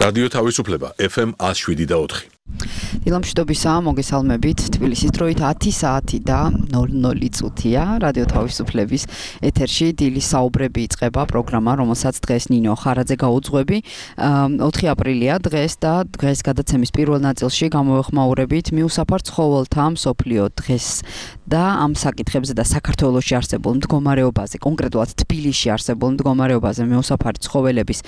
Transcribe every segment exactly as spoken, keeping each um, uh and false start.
რადიო თავისუფლება F M one oh seven და four. დილამშვიდობისა, მოგესალმებით. თბილისის დროით ათი საათი და ნოლ ნოლი წუთია. რადიო თავისუფლების ეთერში დილის საუბრები იწყება პროგრამა, რომელსაც დღეს ნინო ხარაძე გაუძღვები. ოთხი აპრილია დღეს და დღეს გადაცემის პირველ ნაწილში გამოვეხმაურებით მიუსაფარ ცხოველთა მსოფლიო დღეს და ამ საკითხებზე და საქართველოში არსებულ მდგომარეობაზე, კონკრეტულად თბილისში არსებულ მდგომარეობაზე მიუსაფარი ცხოველების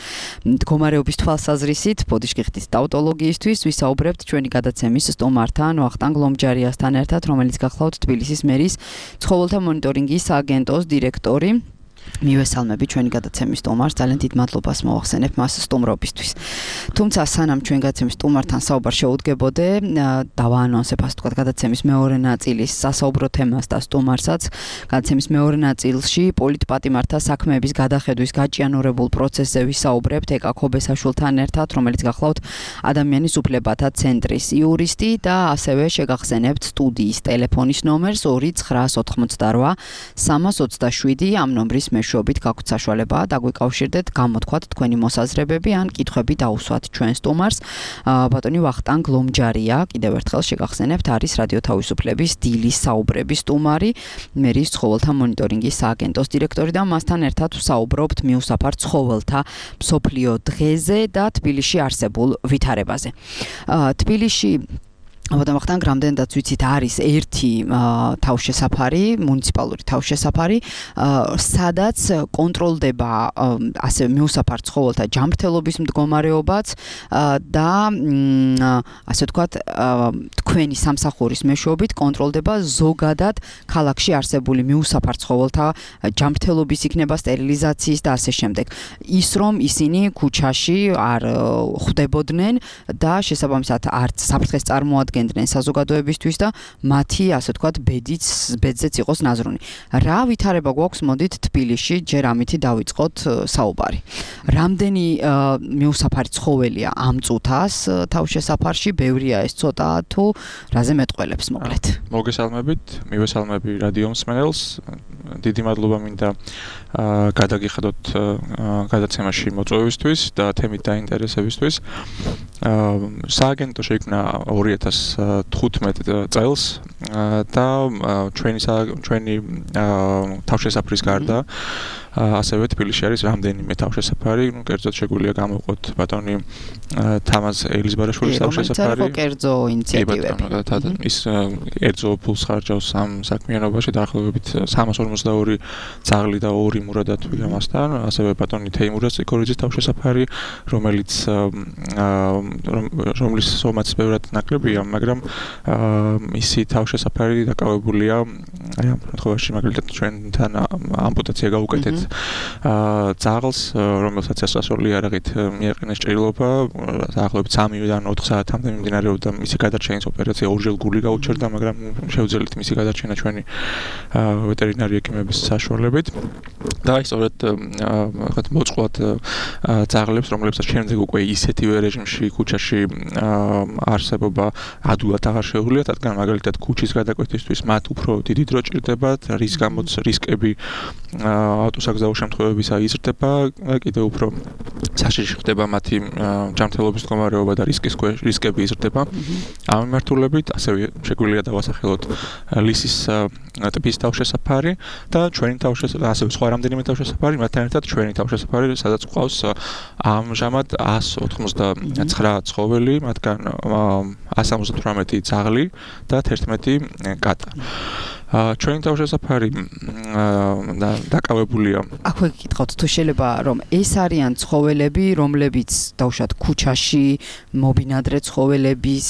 მდგომარეობის თვალსაზრისით, ბოდიშკიხტის ტაუტოლოგიისთვის ვისაუბრებთ ჩვენი გადაცემის სტუმართან, ვახტანგ ლომჯარიასთან ერთად, რომელიც გახლავთ თბილისის მერის ცხოველთა მონიტორინგის სააგენტოს დირექტორი. მივესალმები ჩვენი გადაცემის სტუმარს, ძალიან დიდ მადლობას მოვახსენებ მას სტუმრობისთვის. თუმცა სანამ ჩვენ გადაცემის სტუმართან საუბარ შეუდგებოდე, დავაანონსებ ასე ვთქვათ გადაცემის მეორე ნაწილის სასაუბრო თემას და სტუმარსაც. გადაცემის მეორე ნაწილში პოლიტპატიმართა საქმეების გადახედვის გაჭიანურებულ პროცესზე ვისაუბრებთ ეკა ქობესაშვილთან ერთად, რომელიც გახლავთ ადამიანის უფლებათა ცენტრის იურისტი და ასევე შეგახსენებთ სტუდიის ტელეფონის ნომერს ორი ცხრა ოთხმოცდარვა სამას ოცდაშვიდი ამ ნომრის მეშვეობით გაქვთ საშუალება დაგვიკავშირდეთ, გამოთქვათ თქვენი მოსაზრებები ან კითხვები დაუსვათ ჩვენ სტუმარს. ბატონი ვახტანგ ლომჯარია, კიდევ ერთხელ შეგახსენებთ, არის რადიო თავისუფლების დილის საუბრების სტუმარი, მერის ცხოველთა მონიტორინგის სააგენტოს დირექტორი და მასთან ერთად ვსაუბრობთ მიუსაფარ ცხოველთა მსოფლიო დღეზე და თბილისში არსებულ ვითარებაზე. თბილისში აბა ვახტანგ რამდენადაც ვიცით არის ერთი თავშესაფარი, მუნიციპალური თავშესაფარი, სადაც კონტროლდება ასე მიუსაფარ ცხოველთა ჯანმრთელობის მდგომარეობაც და ასე ვთქვათ თქვენი სამსახურის მეშვეობით კონტროლდება ზოგადად ქალაქში არსებული მიუსაფარ ცხოველთა ჯანმრთელობის იქნება სტერილიზაციის და ასე შემდეგ. ის რომ ისინი ქუჩაში არ ხვდებოდნენ და შესაბამისად არც საფრთხეს წარმოადგენდნენ საზოგადოებისთვის და მათი, ასე ვთქვათ, ბედიც, ბედზეც იყოს ნაზრუნი. რა ვითარება გვაქვს, მოდით თბილისში, ჯერ ამითი დავიწყოთ საუბარი. რამდენი მიუსაფარი ცხოველია ამ წუთას თავშესაფარში, ბევრია ეს ცოტა თუ რაზე მეტყველებს მოკლედ. მოგესალმებით, მივესალმები რადიო მსმენელს. დიდი მადლობა მინდა გადაგიხადოთ გადაცემაში მოწვევისთვის და თემით დაინტერესებისთვის. სააგენტო შეიქმნა ორი ათას თხუთმეტ წელს და ჩვენი ჩვენი თავშესაფრის გარდა ასევე თბილისში არის რამდენიმე თავშესაფარი, ну, კერძოდ შეგვიძლია გამოვყოთ ბატონი თამაზ ელიზბარაშვილის თავშესაფარი. ეს კერძო ინიციატივები. ის კერძო ფულს ხარჯავს ამ საქმიანობაში დაახლოებით სამას ორმოცდაორი ძაღლი და ორი მურადათვი ამასთან, ასევე ბატონი თეიმურაზ ციკორიძის თავშესაფარი, რომელიც რომლის სომაც ბევრად ნაკლებია, მაგრამ მისი თავშესაფარი დაკავებულია აი ამ შემთხვევაში მაგალითად ჩვენთან ამპუტაცია გაუკეთეთ ძაღლს, რომელსაც სასწაული არაღით მიაყენეს ჭრილობა, დაახლოებით სამიდან ოთხ საათამდე მიმდინარეობდა მისი გადარჩენის ოპერაცია, ორჯერ გული გაუჩერდა, მაგრამ შევძელით მისი გადარჩენა ჩვენი ვეტერინარი ექიმების საშუალებით. და სწორედ ვთქვათ მოწყვლად ძაღლებს, რომლებსაც შემდეგ უკვე ისეთივე რეჟიმში ქუჩაში არსებობა ადვილად აღარ შეუძლიათ, რადგან მაგალითად ქუჩის გადაკვეთისთვის მათ უფრო დიდი დრო ჭირდებათ, რის გამოც რისკები ავტოსაგზაო შემთხვევებისა იზრდება, კიდევ უფრო საშიში ხდება მათი ჯანმრთელობის მდგომარეობა და რისკის რისკები იზრდება. ამ მიმართულებით ასევე შეგვიძლია დავასახელოთ ლისის ტიპის თავშესაფარი და ჩვენი თავშესაფარი, ასევე სხვა რამდენიმე თავშესაფარი, მათთან ერთად ჩვენი თავშესაფარი, სადაც გვყავს ამჟამად εκατს ოთხმოცდაცხრა ცხოველი, მათგან εκατს სამოცდათვრამეტი ძაღლი და თერთმეტი კატა. ჩვენი თავშესაფარი დაკავებულია. აქვე გითხავთ, თუ შეიძლება რომ ეს არიან ცხოველები, რომლებიც დავუშვათ ქუჩაში მობინადრე ცხოველების,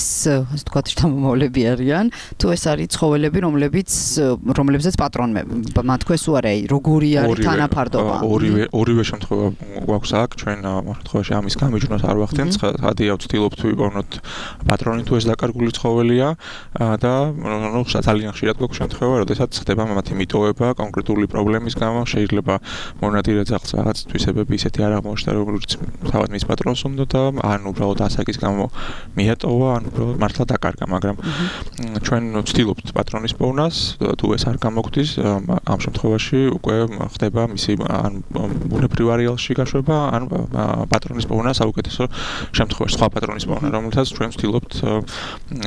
ასე ვთქვათ, შთამომავლები არიან, თუ ეს არის ცხოველები, რომლებიც რომლებზეც პატრონები მათქვეს უარი, როგორი არის თანაფარდობა. ორივე ორივე შემთხვევა გვაქვს აქ, ჩვენ შემთხვევაში ამის გამიჯვნოს არ ვახდენთ, ხადია ვცდილობთ ვიპოვნოთ პატრონი თუ ეს დაკარგული ცხოველია და ნუ ძალიან ხშირად გვაქვს შემთხვევა გამოირჩევა, როდესაც ხდება მათი მიტოვება კონკრეტული პრობლემის გამო, შეიძლება მონადირე ძაღლს რაღაც თვისებები ისეთი არ აღმოჩნდა, როგორც თავად მის პატრონს უნდა და ან უბრალოდ ასაკის გამო მიატოვა, ან უბრალოდ მართლა დაკარგა, მაგრამ ჩვენ ვცდილობთ პატრონის პოვნას, თუ ეს არ გამოგვდის, ამ შემთხვევაში უკვე ხდება მისი ან ბუნებრივ არეალში გაშვება, ან პატრონის პოვნა საუკეთესო შემთხვევაში, სხვა პატრონის პოვნა, რომელთაც ჩვენ ვცდილობთ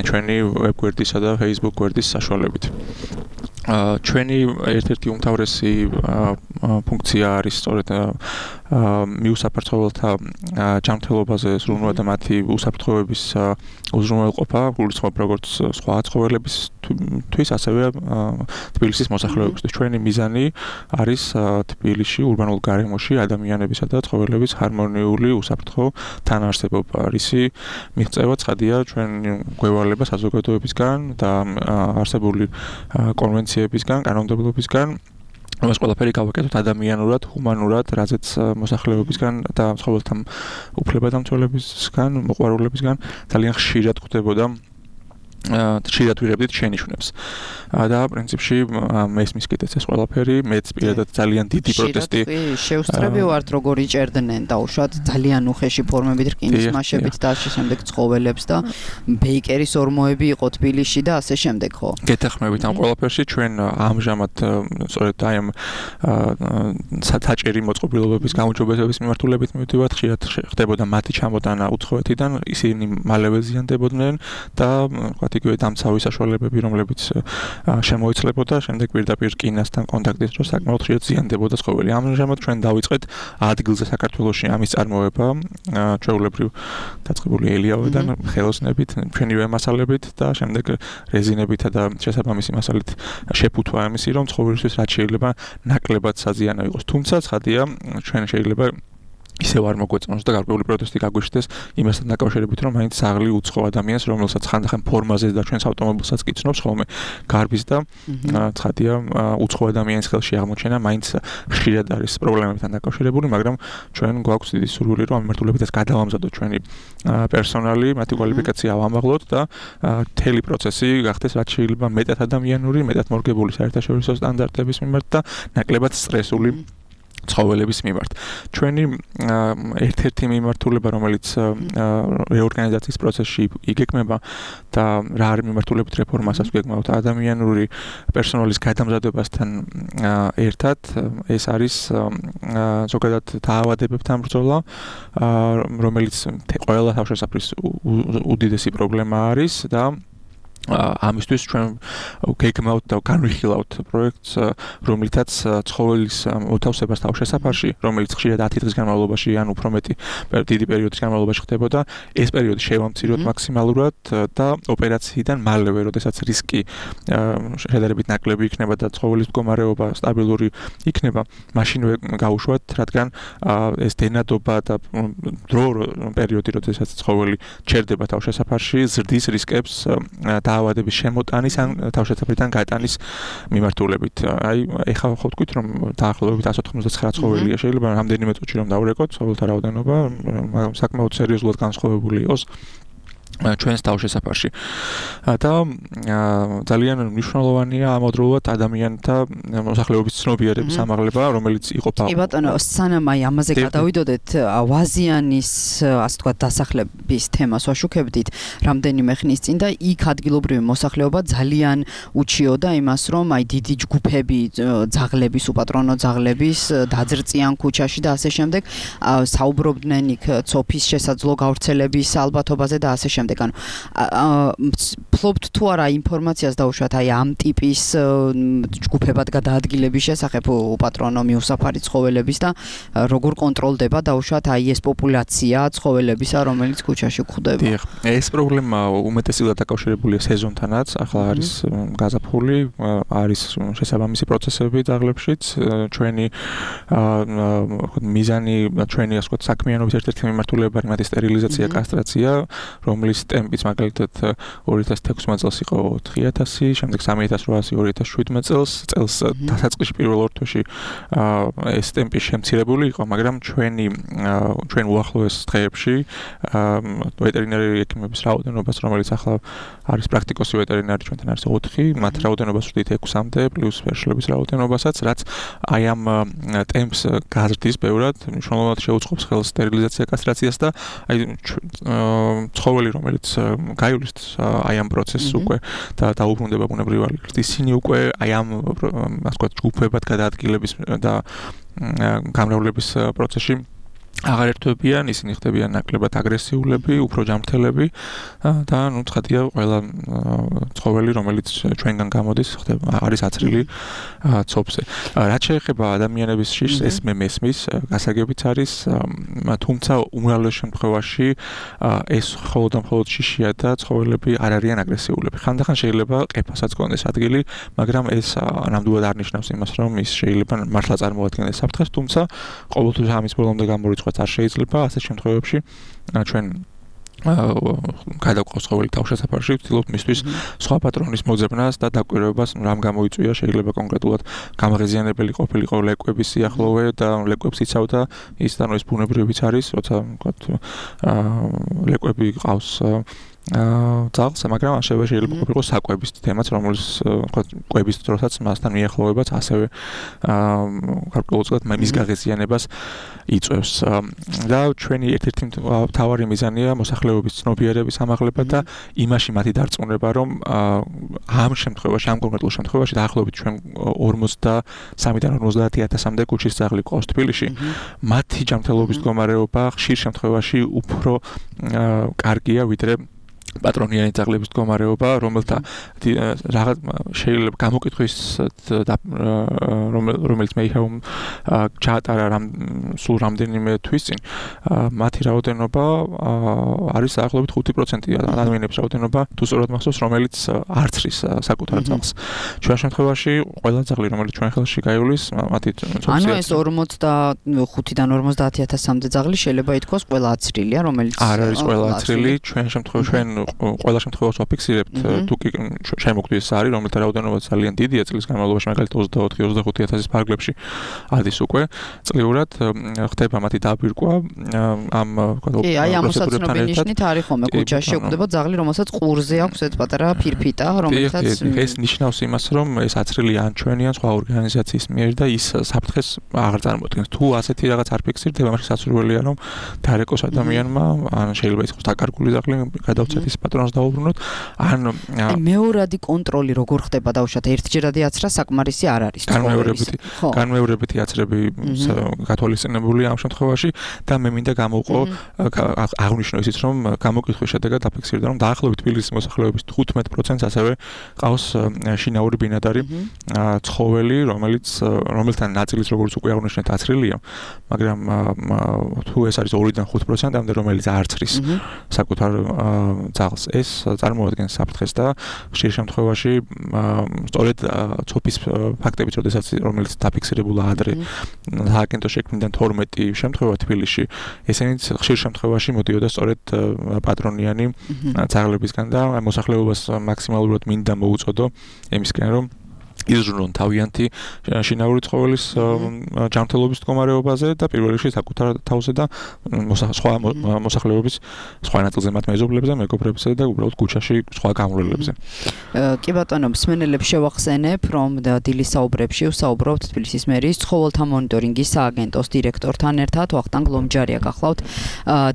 ჩვენი ვებგვერდისა და Facebook გვერდის საშუალებით. ჩვენი ერთ-ერთი უმთავრესი ფუნქცია არის სწორედ მიუსაფრთხოებელთა ჯანმრთელობაზე ზრუნვა და მათი უსაფრთხოების უზრუნველყოფა, გულისხმობ როგორც სხვა ცხოველებისთვის, ასევე თბილისის მოსახლეობისთვის. ჩვენი მიზანი არის თბილისში, ურბანულ გარემოში ადამიანებისა და ცხოველების ჰარმონიული უსაფრთხო თანაარსებობა. რისი მიღწევა ცხადია ჩვენ გვევალება საზოგადოებისგან და არსებული კონვენციებისგან, კანონმდებლობისგან, რომელს ყველაფერი გავაკეთოთ ადამიანურად, ჰუმანურად, რაზეც მოსახლეობისგან და ცხოველთა უფლებადამცველებისგან, მოყვარულებისგან ძალიან ხშირად ხდებოდა ხშირად ვიღებდით შენიშვნებს. და პრინციპში მესმის კიდეც ეს ყველაფერი, მეც პირადად ძალიან დიდი პროტესტი შეუსწრები ვართ, როგორ იჭერდნენ დაუშვათ ძალიან უხეში ფორმებით, რკინის მასებით და ასე შემდეგ ცხოველებს და ბეიკერის ორმოები იყო თბილისში და ასე შემდეგ, ხო? გეთახმებით ამ ყველაფერში ჩვენ ამჟამად სწორედ აი ამ საჭირი მოწყობილობების გამოჯობესების მიმართულებით მივდივართ, ხშირად ხდებოდა მათი ჩამოტანა უცხოეთიდან, ისინი მალევე ზიანდებოდნენ და იგივე დამცავი საშუალებები, რომლებიც შემოიცლებოდა, შემდეგ პირდაპირ რკინასთან კონტაქტის დროს საკმაოდ ხშირად ზიანდებოდა ცხოველი. ამჟამად ჩვენ დავიწყეთ ადგილზე საქართველოში ამის წარმოება, ჩვეულებრივ დაწყებული ელიავიდან, ხელოსნებით, ჩვენივე მასალებით და შემდეგ რეზინებითა და შესაბამისი მასალით შეფუთვა ამისი, რომ ცხოველისთვის რაც შეიძლება ნაკლებად საზიანო იყოს. თუმცა ცხადია, ჩვენ შეიძლება ისევ არ მოგვეწონოს და გარკვეული პროტესტი გაგვიშდეს იმასთან დაკავშირებით, რომ მაინც საღლი უცხო ადამიანს, რომელსაც ხანდახან ფორმაზე და ჩვენს ავტომობილსაც კიცნობს ხოლმე გარბის და ცხადია უცხო ადამიანის ხელში აღმოჩენა მაინც ხშირად არის პრობლემებთან დაკავშირებული, მაგრამ ჩვენ გვაქვს დიდი სურვილი, რომ ამ მიმართულებითაც გადავამზადოთ ჩვენი პერსონალი, მათი კვალიფიკაცია ავამაღლოთ და მთელი პროცესი გახდეს რაც შეიძლება მეტად ადამიანური, მეტად მორგებული საერთაშორისო სტანდარტების მიმართ და ნაკლებად სტრესული ცხოველების მიმართ. ჩვენი ერთ-ერთი მიმართულება, რომელიც რეორგანიზაციის პროცესში იგეგმება და რა არის მიმართულებით რეფორმასაც ვგეგმავთ ადამიანური პერსონალის გადამზადებასთან ერთად, ეს არის ზოგადად დაავადებებთან ბრძოლა, რომელიც ყველა თავშესაფრის უდიდესი პრობლემა არის და ამისთვის ჩვენ გეგმავთ და განვიხილავთ პროექტს, რომლითაც ცხოველის მოთავსებას თავშესაფარში, რომელიც ხშირად ათი დღის განმავლობაში ან უფრო მეტი დიდი პერიოდის განმავლობაში ხდებოდა, ეს პერიოდი შევამციროთ მაქსიმალურად და ოპერაციიდან მალევე, როდესაც რისკი შედარებით ნაკლები იქნება და ცხოველის მდგომარეობა სტაბილური იქნება, მაშინვე გავუშვათ, რადგან ეს დენადობა და დრო პერიოდი, როდესაც ცხოველი ჩერდება თავშესაფარში, ზრდის რისკებს დაავადების შემოტანის ან თავშესაფრიდან გატანის მიმართულებით. აი, ეხლა ხო ვთქვით, რომ დაახლოებით εκατს ოთხმოცდათცხრა ცხოველია, შეიძლება რამდენიმე წუთში რომ დავრეკოთ ცხოველთა რაოდენობა, საკმაოდ სერიოზულად განსხვავებული იყოს ჩვენს თავშესაფარში. და ძალიან მნიშვნელოვანია ამავდროულად ადამიანთა მოსახლეობის ცნობიერების ამაღლება, რომელიც იყოფა. კი ბატონო, სანამ აი ამაზე გადავიდოდეთ, ვაზიანის, ასე ვთქვათ, დასახლების თემას ვაშუქებდით რამდენიმე ხნის წინ და იქ ადგილობრივი მოსახლეობა ძალიან უჩიოდა იმას, რომ აი დიდი ჯგუფები ძაღლების, უპატრონო ძაღლების დაძრწიან ქუჩაში და ასე შემდეგ, საუბრობდნენ იქ ცოფის შესაძლო გავრცელების ალბათობაზე და ასე შემდეგ. ანუ ფლობთ თუ არა ინფორმაციას დაუშვათ აი ამ ტიპის ჯგუფებად გადაადგილების შესახებ უპატრონო მიუსაფარი ცხოველების და როგორ კონტროლდება დაუშვათ აი ეს პოპულაცია ცხოველებისა, რომელიც ქუჩაში გვხვდება. დიახ, ეს პრობლემა უმეტესად დაკავშირებულია სეზონთანაც, ახლა არის გაზაფხული, არის შესაბამისი პროცესები ძაღლებშიც, ჩვენი მიზანი, ჩვენი ასე ვთქვათ, საქმიანობის ერთ-ერთი მიმართულება არის მათი სტერილიზაცია, კასტრაცია, რომლის ეს ტემპიც მაგალითად ორი ათას თექვსმეტ წელს იყო ოთხი ათასი, შემდეგ სამი ათას რვაასი ორი ათას შვიდმეტ წელს, წელს დასაწყისში პირველ ორ თვეში ეს ტემპი შემცირებული იყო, მაგრამ ჩვენი ჩვენ უახლოეს დღეებში ვეტერინარი ექიმების რაოდენობას, რომელიც ახლა არის პრაქტიკოსი ვეტერინარი ჩვენთან არის ოთხი, მათ რაოდენობას ვხვდით ექვსამდე პლუს ვერშლების რაოდენობასაც, რაც აი ამ ტემპს გაზრდის ბევრად, მნიშვნელოვნად შეუწყობს ხელს სტერილიზაცია, კასტრაციას და აი ცხოველი რომელიც გაივლის აი ამ პროცესს უკვე და დაუბრუნდება ბუნებრივად, ისინი უკვე აი ამ ასე ვთქვათ ჯგუფებად გადაადგილების და გამრავლების პროცესში აღარ ერთვებიან, ისინი ხდებიან ნაკლებად აგრესიულები, უფრო ჯანმრთელები და ნუ ცხადია ყველა ცხოველი რომელიც ჩვენგან გამოდის, ხდება არის აცრილი ცოფზე. რაც შეეხება ადამიანების შიშს, ეს მე მესმის, გასაგებიც არის, თუმცა უმრავლეს შემთხვევაში ეს მხოლოდ და მხოლოდ შიშია და ცხოველები არ არიან აგრესიულები. ხანდახან შეიძლება ყეფასაც გქონდეს ადგილი, მაგრამ ეს ნამდვილად არ ნიშნავს იმას, რომ ის შეიძლება მართლა წარმოადგენდეს საფრთხეს, თუმცა ყოველთვის ამის ბოლომდე გამორიცხვა არ შეიძლება, ასე შემთხვევებში ჩვენ გადავყავს ცხოველი თავშესაფარში, ვცდილობთ მისთვის სხვა პატრონის მოძებნას და დაკვირვებას, რამ გამოიწვია, შეიძლება კონკრეტულად გამაღიზიანებელი ყოფილიყო ლეკვების სიახლოვე და ლეკვებს იცავდა, ის და ეს ბუნებრივიც არის, როცა ვთქვათ ლეკვები ყავს ძალს, მაგრამ ასევე შეიძლება ყოფილიყო საკვების თემაც, რომელიც ვთქვათ კვების დროსაც მასთან მიახლოვებაც ასევე გარკვეულწილად მის გაღიზიანებას იწვევს. და ჩვენი ერთ-ერთი მთავარი მიზანია მოსახლეობის ცნობიერების ამაღლება და იმაში მათი დარწმუნება, რომ ამ შემთხვევაში, ამ კონკრეტულ შემთხვევაში დაახლოებით ჩვენ ორმოცდასამიდან ორმოცდაათი ათასამდე ქუჩის ძაღლი ყავს თბილისში, მათი ჯანმრთელობის მდგომარეობა ხშირ შემთხვევაში უფრო კარგია ვიდრე პატრონიანი ძაღლების მდგომარეობა, რომელთა რაღაც შეიძლება გამოკითხვის რომელიც მე είχα ჩაატარა სულ რამდენიმე თვის წინ, მათი რაოდენობა არის დაახლოებით ხუთი პროცენტი ადამიანების რაოდენობა, თუ სწორად მახსოვს, რომელიც არცრის საკუთარ ძაღლს. ჩვენ შემთხვევაში ყველა ძაღლი, რომელიც ჩვენ ხელში გაივლის, მათი ანუ ეს ორმოცდახუთიდან ორმოცდაათი ათასამდე ძაღლი შეიძლება ითქვას ყველა აცრილია, რომელიც არ არის ყველა აცრილი, ჩვენ შემთხვევაში ჩვენ ყველა შემთხვევაში ვაფიქსირებთ, თუ კი შემოგვდის არის, რომელთა რაოდენობა ძალიან დიდია წლის განმავლობაში, მაგალითად ოცდაოთხი ოცდახუთი ათასის ფარგლებში ადის უკვე წლიურად, ხდება მათი დაბირკვა ამ კი, აი ამ მოსაცნობი ნიშნით არის ხოლმე ქუჩაში გვხვდება ძაღლი, რომელსაც ყურზე აქვს ეს პატარა ფირფიტა, რომელსაც ეს ნიშნავს იმას, რომ ეს აცრილი ან ჩვენი ან სხვა ორგანიზაციის მიერ და ის საფრთხეს აღარ წარმოადგენს. თუ ასეთი რაღაც არ ფიქსირდება, მაშინ სასურველია რომ დარეკოს ადამიანმა, ან შეიძლება იყოს დაკარგული ძაღლი, გადავცეთ ის პატრონს დაუბრუნოთ, ან მეორადი კონტროლი როგორ ხდება დაუშვათ ერთჯერადი აცრა საკმარისი არ არის. განმეორებითი განმეორებითი აცრები გათვალისწინებულია ამ შემთხვევაში და მე მინდა გამოვყო აღნიშნო ისიც, რომ გამოკითხვის შედეგად დაფიქსირდა, რომ დაახლოებით თბილისის მოსახლეობის თხუთმეტ პროცენტს ასევე ყავს შინაური ბინადარი ცხოველი, რომელიც რომელთან ნაწილის როგორც უკვე აღნიშნეთ აცრილია, მაგრამ თუ ეს არის ორიდან ხუთ პროცენტამდე, რომელიც არ ცრის საკუთარ ძაღლს, ეს წარმოადგენს საფრთხეს და ხშირ შემთხვევაში სწორედ ცოფის ფაქტებით, როდესაც რომელიც დაფიქსირებულა ადრე სააგენტო შექმნიდან თორმეტი შემთხვევა თბილისში, ესენიც ხშირ შემთხვევაში მოდიოდა სწორედ პატრონიანი ძაღლებისგან და მოსახლეობას მაქსიმალურად მინდა მოუწოდო იმისკენ, რომ იზრუნონ თავიანთი შინაური ცხოველის ჯანმრთელობის მდგომარეობაზე და პირველ რიგში საკუთარ თავზე და სხვა მოსახლეობის სხვა ნაწილზე მათ მეზობლებზე, მეგობრებზე და უბრალოდ ქუჩაში სხვა გამრავლებზე. კი ბატონო, მსმენელებს შევახსენებ, რომ დილის საუბრებში ვსაუბრობთ თბილისის მერის ცხოველთა მონიტორინგის სააგენტოს დირექტორთან ერთად, ვახტანგ ლომჯარია გახლავთ.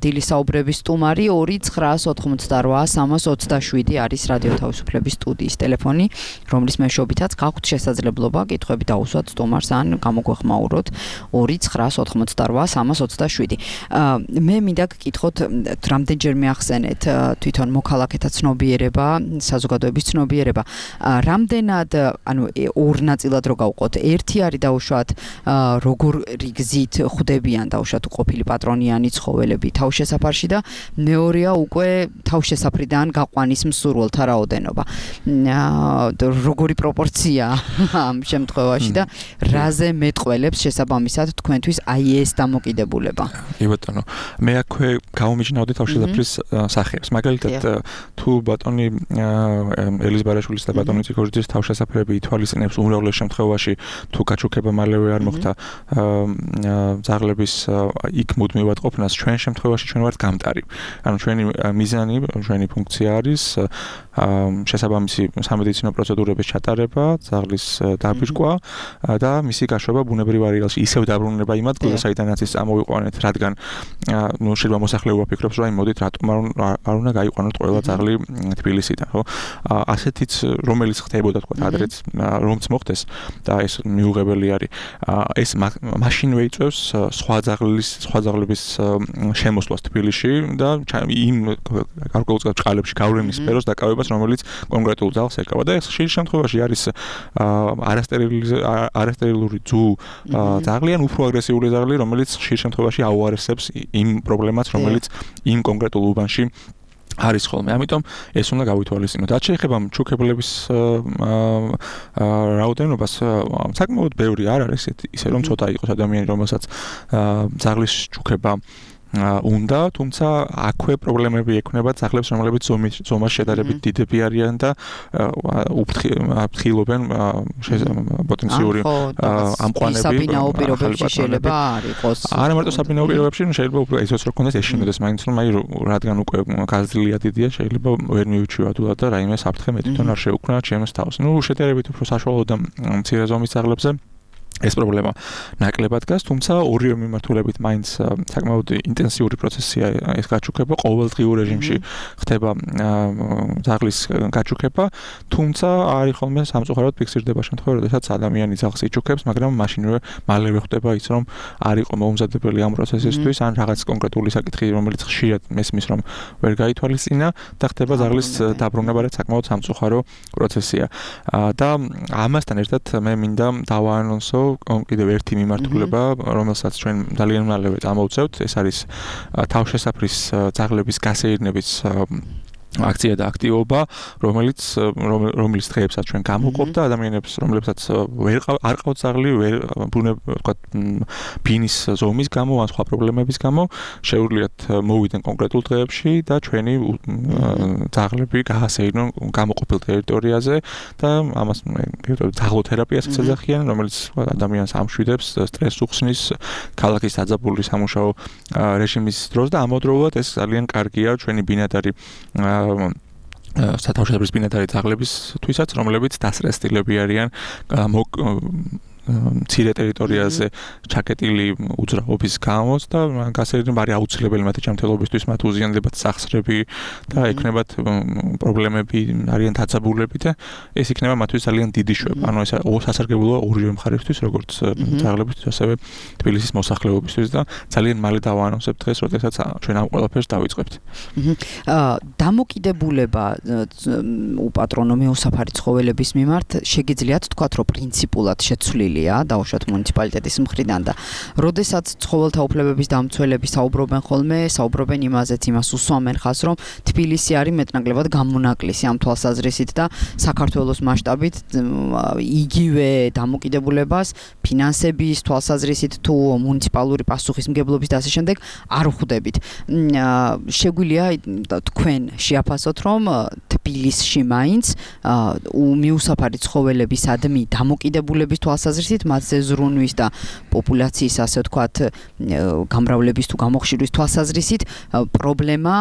დილის საუბრების სტუმარი ორი ცხრაას ოთხმოცდარვა სამას ოცდაშვიდი არის რადიო თავისუფლების სტუდიის ტელეფონი, რომლის მეშვეობითაც გაქვთ შესაძლებლობა კითხვები დაუსვათ სტუმარს ან გამოგვეხმაუროთ ორი ცხრაას ოთხმოცდარვა სამას ოცდაშვიდი. მე მინდა გკითხოთ, რამდენჯერმე ახსენეთ თვითონ მოქალაქეთა ცნობიერება, საზოგადოების ცნობიერება. რამდენად, ანუ ორ ნაწილად რო გავყოთ, ერთი არის დაუშვათ როგორი გზით ხვდებიან დაუშვათ ყოფილი პატრონიანი ცხოველები თავშესაფარში და მეორეა უკვე თავშესაფრიდან გაყვანის მსურველთა რაოდენობა. როგორი პროპორცია რა ამ შემთხვევაში და რაზე მეტყველებს შესაბამისად თქვენთვის აი ეს დამოკიდებულება. კი ბატონო, მე აქვე გამომიჩნევდი თავშესაფრის სახეებს. მაგალითად, თუ ბატონი ელიზ ბარაშვილის და ბატონი ციკორიძის თავშესაფრები ითვალისწინებს უმრავლეს შემთხვევაში თუ გაჩუქება მალევე არ მოხდა ძაღლების იქ მუდმივად ყოფნას, ჩვენ შემთხვევაში ჩვენ ვართ გამტარი. ანუ ჩვენი მიზანი, ჩვენი ფუნქცია არის შესაბამისი სამედიცინო პროცედურების ჩატარება, ძაღლის დაბირკვა და მისი გაშვება ბუნებრივ არეალში, ისევ დაბრუნება იმ ადგილას, საიდანაც ის წამოვიყვანეთ, რადგან ნუ შეიძლება მოსახლეობა ფიქრობს, რომ აი მოდით რატომ არ უნდა გაიყვანოთ ყველა ძაღლი თბილისიდან, ხო? ასეთიც რომელიც ხდებოდა თქვა ადრეც რომც მოხდეს და ეს მიუღებელი არის. ეს მაშინვე იწევს სხვა ძაღლის, სხვა ძაღლების შემოსვლას თბილისში და იმ გარკვეულ წყალებში გავლენის სფეროს დაკავებას, რომელიც კონკრეტულ ძაღლს ეკავა და ეს ხშირ შემთხვევაში არის არასტერილური ძუ ძაღლი ან უფრო აგრესიული ძაღლი, რომელიც ხშირ შემთხვევაში აუარესებს იმ პრობლემას, რომელიც იმ კონკრეტულ უბანში არის ხოლმე. ამიტომ ეს უნდა გავითვალისწინოთ. რაც შეეხება ჩუქებლების რაოდენობას, საკმაოდ ბევრი არ არის ისე რომ ცოტა იყოს ადამიანი, რომელსაც ძაღლის ჩუქება უნდა, თუმცა აქვე პრობლემები ექნება ძაღლებს, რომლებიც ზომას შედარებით დიდები არიან და აფრთხილობენ პოტენციური ამყვანები. საბინაო პირობებში შეიძლება არ იყოს. არა მარტო საბინაო პირობებში, შეიძლება უფრო ისიც რო ქონდეს ეშინოდეს, მაინც რომ აი რადგან უკვე გაზრდილია დიდია, შეიძლება ვერ მივიჩვია თულად და რაიმე საფრთხე მე თვითონ არ შევუქმნა ჩემს თავს. ნუ შედარებით უფრო საშუალო და მცირე ზომის ძაღლებზე ეს პრობლემა ნაკლებად დგას, თუმცა ორივე მიმართულებით მაინც საკმაოდ ინტენსიური პროცესია ეს გაჩუქება, ყოველდღიურ რეჟიმში ხდება ძაღლის გაჩუქება, თუმცა არის ხოლმე სამწუხაროდ ფიქსირდება შემთხვევა, როდესაც ადამიანი ძაღლს იჩუქებს, მაგრამ მაშინვე მალევე ხდება ის, რომ არ იყო მოუმზადებელი ამ პროცესისთვის, ან რაღაც კონკრეტული საკითხი, რომელიც ხშირად მესმის, რომ ვერ გაითვალისწინა და ხდება ძაღლის დაბრუნება, რაც საკმაოდ სამწუხარო პროცესია. და ამასთან ერთად მე მინდა დავაანონსო კიდევ ერთი მიმართულება, რომელსაც ჩვენ ძალიან მალევე წამოვწევთ, ეს არის თავშესაფრის ძაღლების გასეირნების აქცია და აქტივობა, რომელიც რომლის დღეებსაც ჩვენ გამოვყოფ და ადამიანებს, რომლებსაც ვერ არ ყავთ ძაღლი, ვერ ვთქვათ ბინის ზომის გამო ან სხვა პრობლემების გამო, შეუძლიათ მოვიდნენ კონკრეტულ დღეებში და ჩვენი ძაღლები გაასეირნონ გამოყოფილ ტერიტორიაზე და ამას ძაღლოთერაპიას ეძახიან, რომელიც ადამიანს ამშვიდებს, სტრესს უხსნის ქალაქის დაძაბული სამუშაო რეჟიმის დროს და ამავდროულად ეს ძალიან კარგია ჩვენი ბინადარი სათავშესაფრის ბინადარი ძაღლებისთვისაც, რომლებიც დასწრესტილები არიან მცირე ტერიტორიაზე ჩაკეტილი უძრაობის გამო და გასეირნება არის აუცილებელი მათი ჯანმრთელობისთვის, მათ უზიანდებათ სახსრები და ექნებათ პრობლემები, არიან დაძაბულები და ეს იქნება მათთვის ძალიან დიდი შვება. ანუ ეს სასარგებლოა ორივე მხარისთვის, როგორც ძაღლებისთვის, ასევე თბილისის მოსახლეობისთვის და ძალიან მალე დავაანონსებთ დღეს, როდესაც ჩვენ ამ ყველაფერს დავიწყებთ. დამოკიდებულება უპატრონო მეუსაფარი ცხოველების მიმართ შეგიძლიათ თქვათ, რომ პრინციპულად შეცვლილი დაუშვათ მუნიციპალიტეტის მხრიდან და როდესაც ცხოველთა უფლებების დამცველები საუბრობენ ხოლმე, საუბრობენ იმაზეც, იმას უსვამენ ხაზს, რომ თბილისი არის მეტნაკლებად გამონაკლისი ამ თვალსაზრისით და საქართველოს მასშტაბით იგივე დამოკიდებულებას ფინანსების თვალსაზრისით თუ მუნიციპალური პასუხისმგებლობის და ასე შემდეგ არ ხვდებით. შეგვიძლია თქვენ შეაფასოთ, რომ თბილისში მაინც მიუსაფარი ცხოველებისადმი დამოკიდებულების თვალსაზრისით მათზე ზრუნვის და პოპულაციის ასე ვთქვათ გამრავლების თუ გამოხშირვის თვალსაზრისით პრობლემა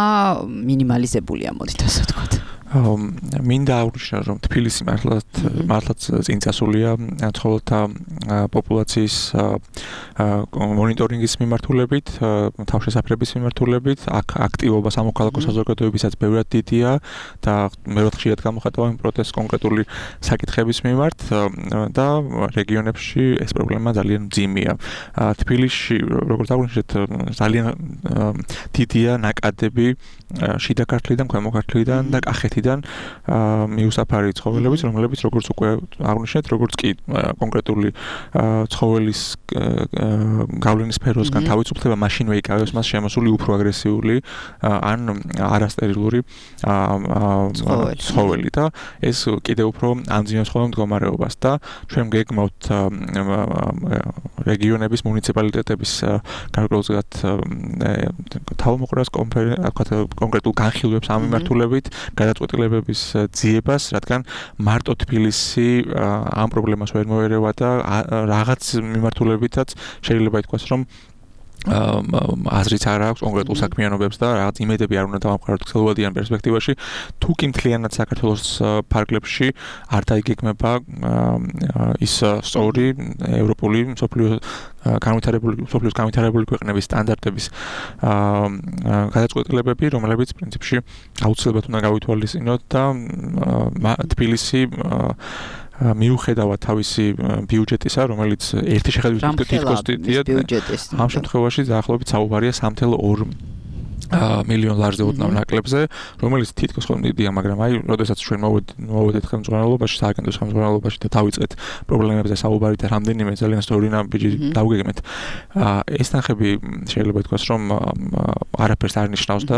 მინიმალიზებულია, მოდით ასე ვთქვათ. მინდა აღვნიშნო, რომ თბილისი მართლაც მართლაც წინწასულია ცხოველთა პოპულაციის მონიტორინგის მიმართულებით, თავშესაფრების მიმართულებით, აქ აქტივობა სამოქალაქო საზოგადოებისაც ბევრად დიდია და ბევრად ხშირად გამოხატავენ პროტესტს კონკრეტული საკითხების მიმართ და რეგიონებში ეს პრობლემა ძალიან მძიმეა. თბილისში, როგორც აღვნიშნეთ, ძალიან დიდია ნაკადები შიდა ქართლიდან, ქვემო ქართლიდან და კახეთიდან მხრიდან მიუსაფარი ცხოველების, რომლებიც როგორც უკვე აღნიშნეთ, როგორც კი კონკრეტული ცხოველის გავლენის სფეროსგან თავის უფლება მაშინვე იკავებს მას შემოსული უფრო აგრესიული ან არასტერილური ცხოველი და ეს კიდევ უფრო ამძიმებს ხოლმე მდგომარეობას და ჩვენ გეგმავთ რეგიონების მუნიციპალიტეტების გარკვეულწილად თავმოყრას კონკრეტულ განხილვებს ამ მიმართულებით გადაწყვეტილებების ძიებას, რადგან მარტო თბილისი ამ პრობლემას ვერ მოერევა და რაღაც მიმართულებითაც შეიძლება ითქვას, რომ აზრიც არ აქვს კონკრეტულ საქმიანობებს და რაღაც იმედები არ უნდა დავამყაროთ გრძელვადიან პერსპექტივაში. თუ კი მთლიანად საქართველოს ფარგლებში არ დაიგეგმება ის სწორი ევროპული მსოფლიო განვითარებული მსოფლიოს განვითარებული ქვეყნების სტანდარტების გადაწყვეტილებები, რომლებიც პრინციპში აუცილებლად უნდა გავითვალისწინოთ და თბილისი მიუხედავად თავისი ბიუჯეტისა, რომელიც ერთი შეხედვით თითქოს დიდია, ამ შემთხვევაში დაახლოებით საუბარია სამი თვე ორი მილიონ ლარზე ოდნავ ნაკლებზე, რომელიც თითქოს ხოლმე დიდია, მაგრამ აი, როდესაც ჩვენ მოვედით ხელმძღვანელობაში, სააგენტოს ხელმძღვანელობაში და დავიწყეთ პრობლემებზე საუბარი და რამდენიმე ძალიან სწორი ნაბიჯი დავგეგმეთ. ეს თანხები შეიძლება ითქვას, რომ არაფერს არ ნიშნავს და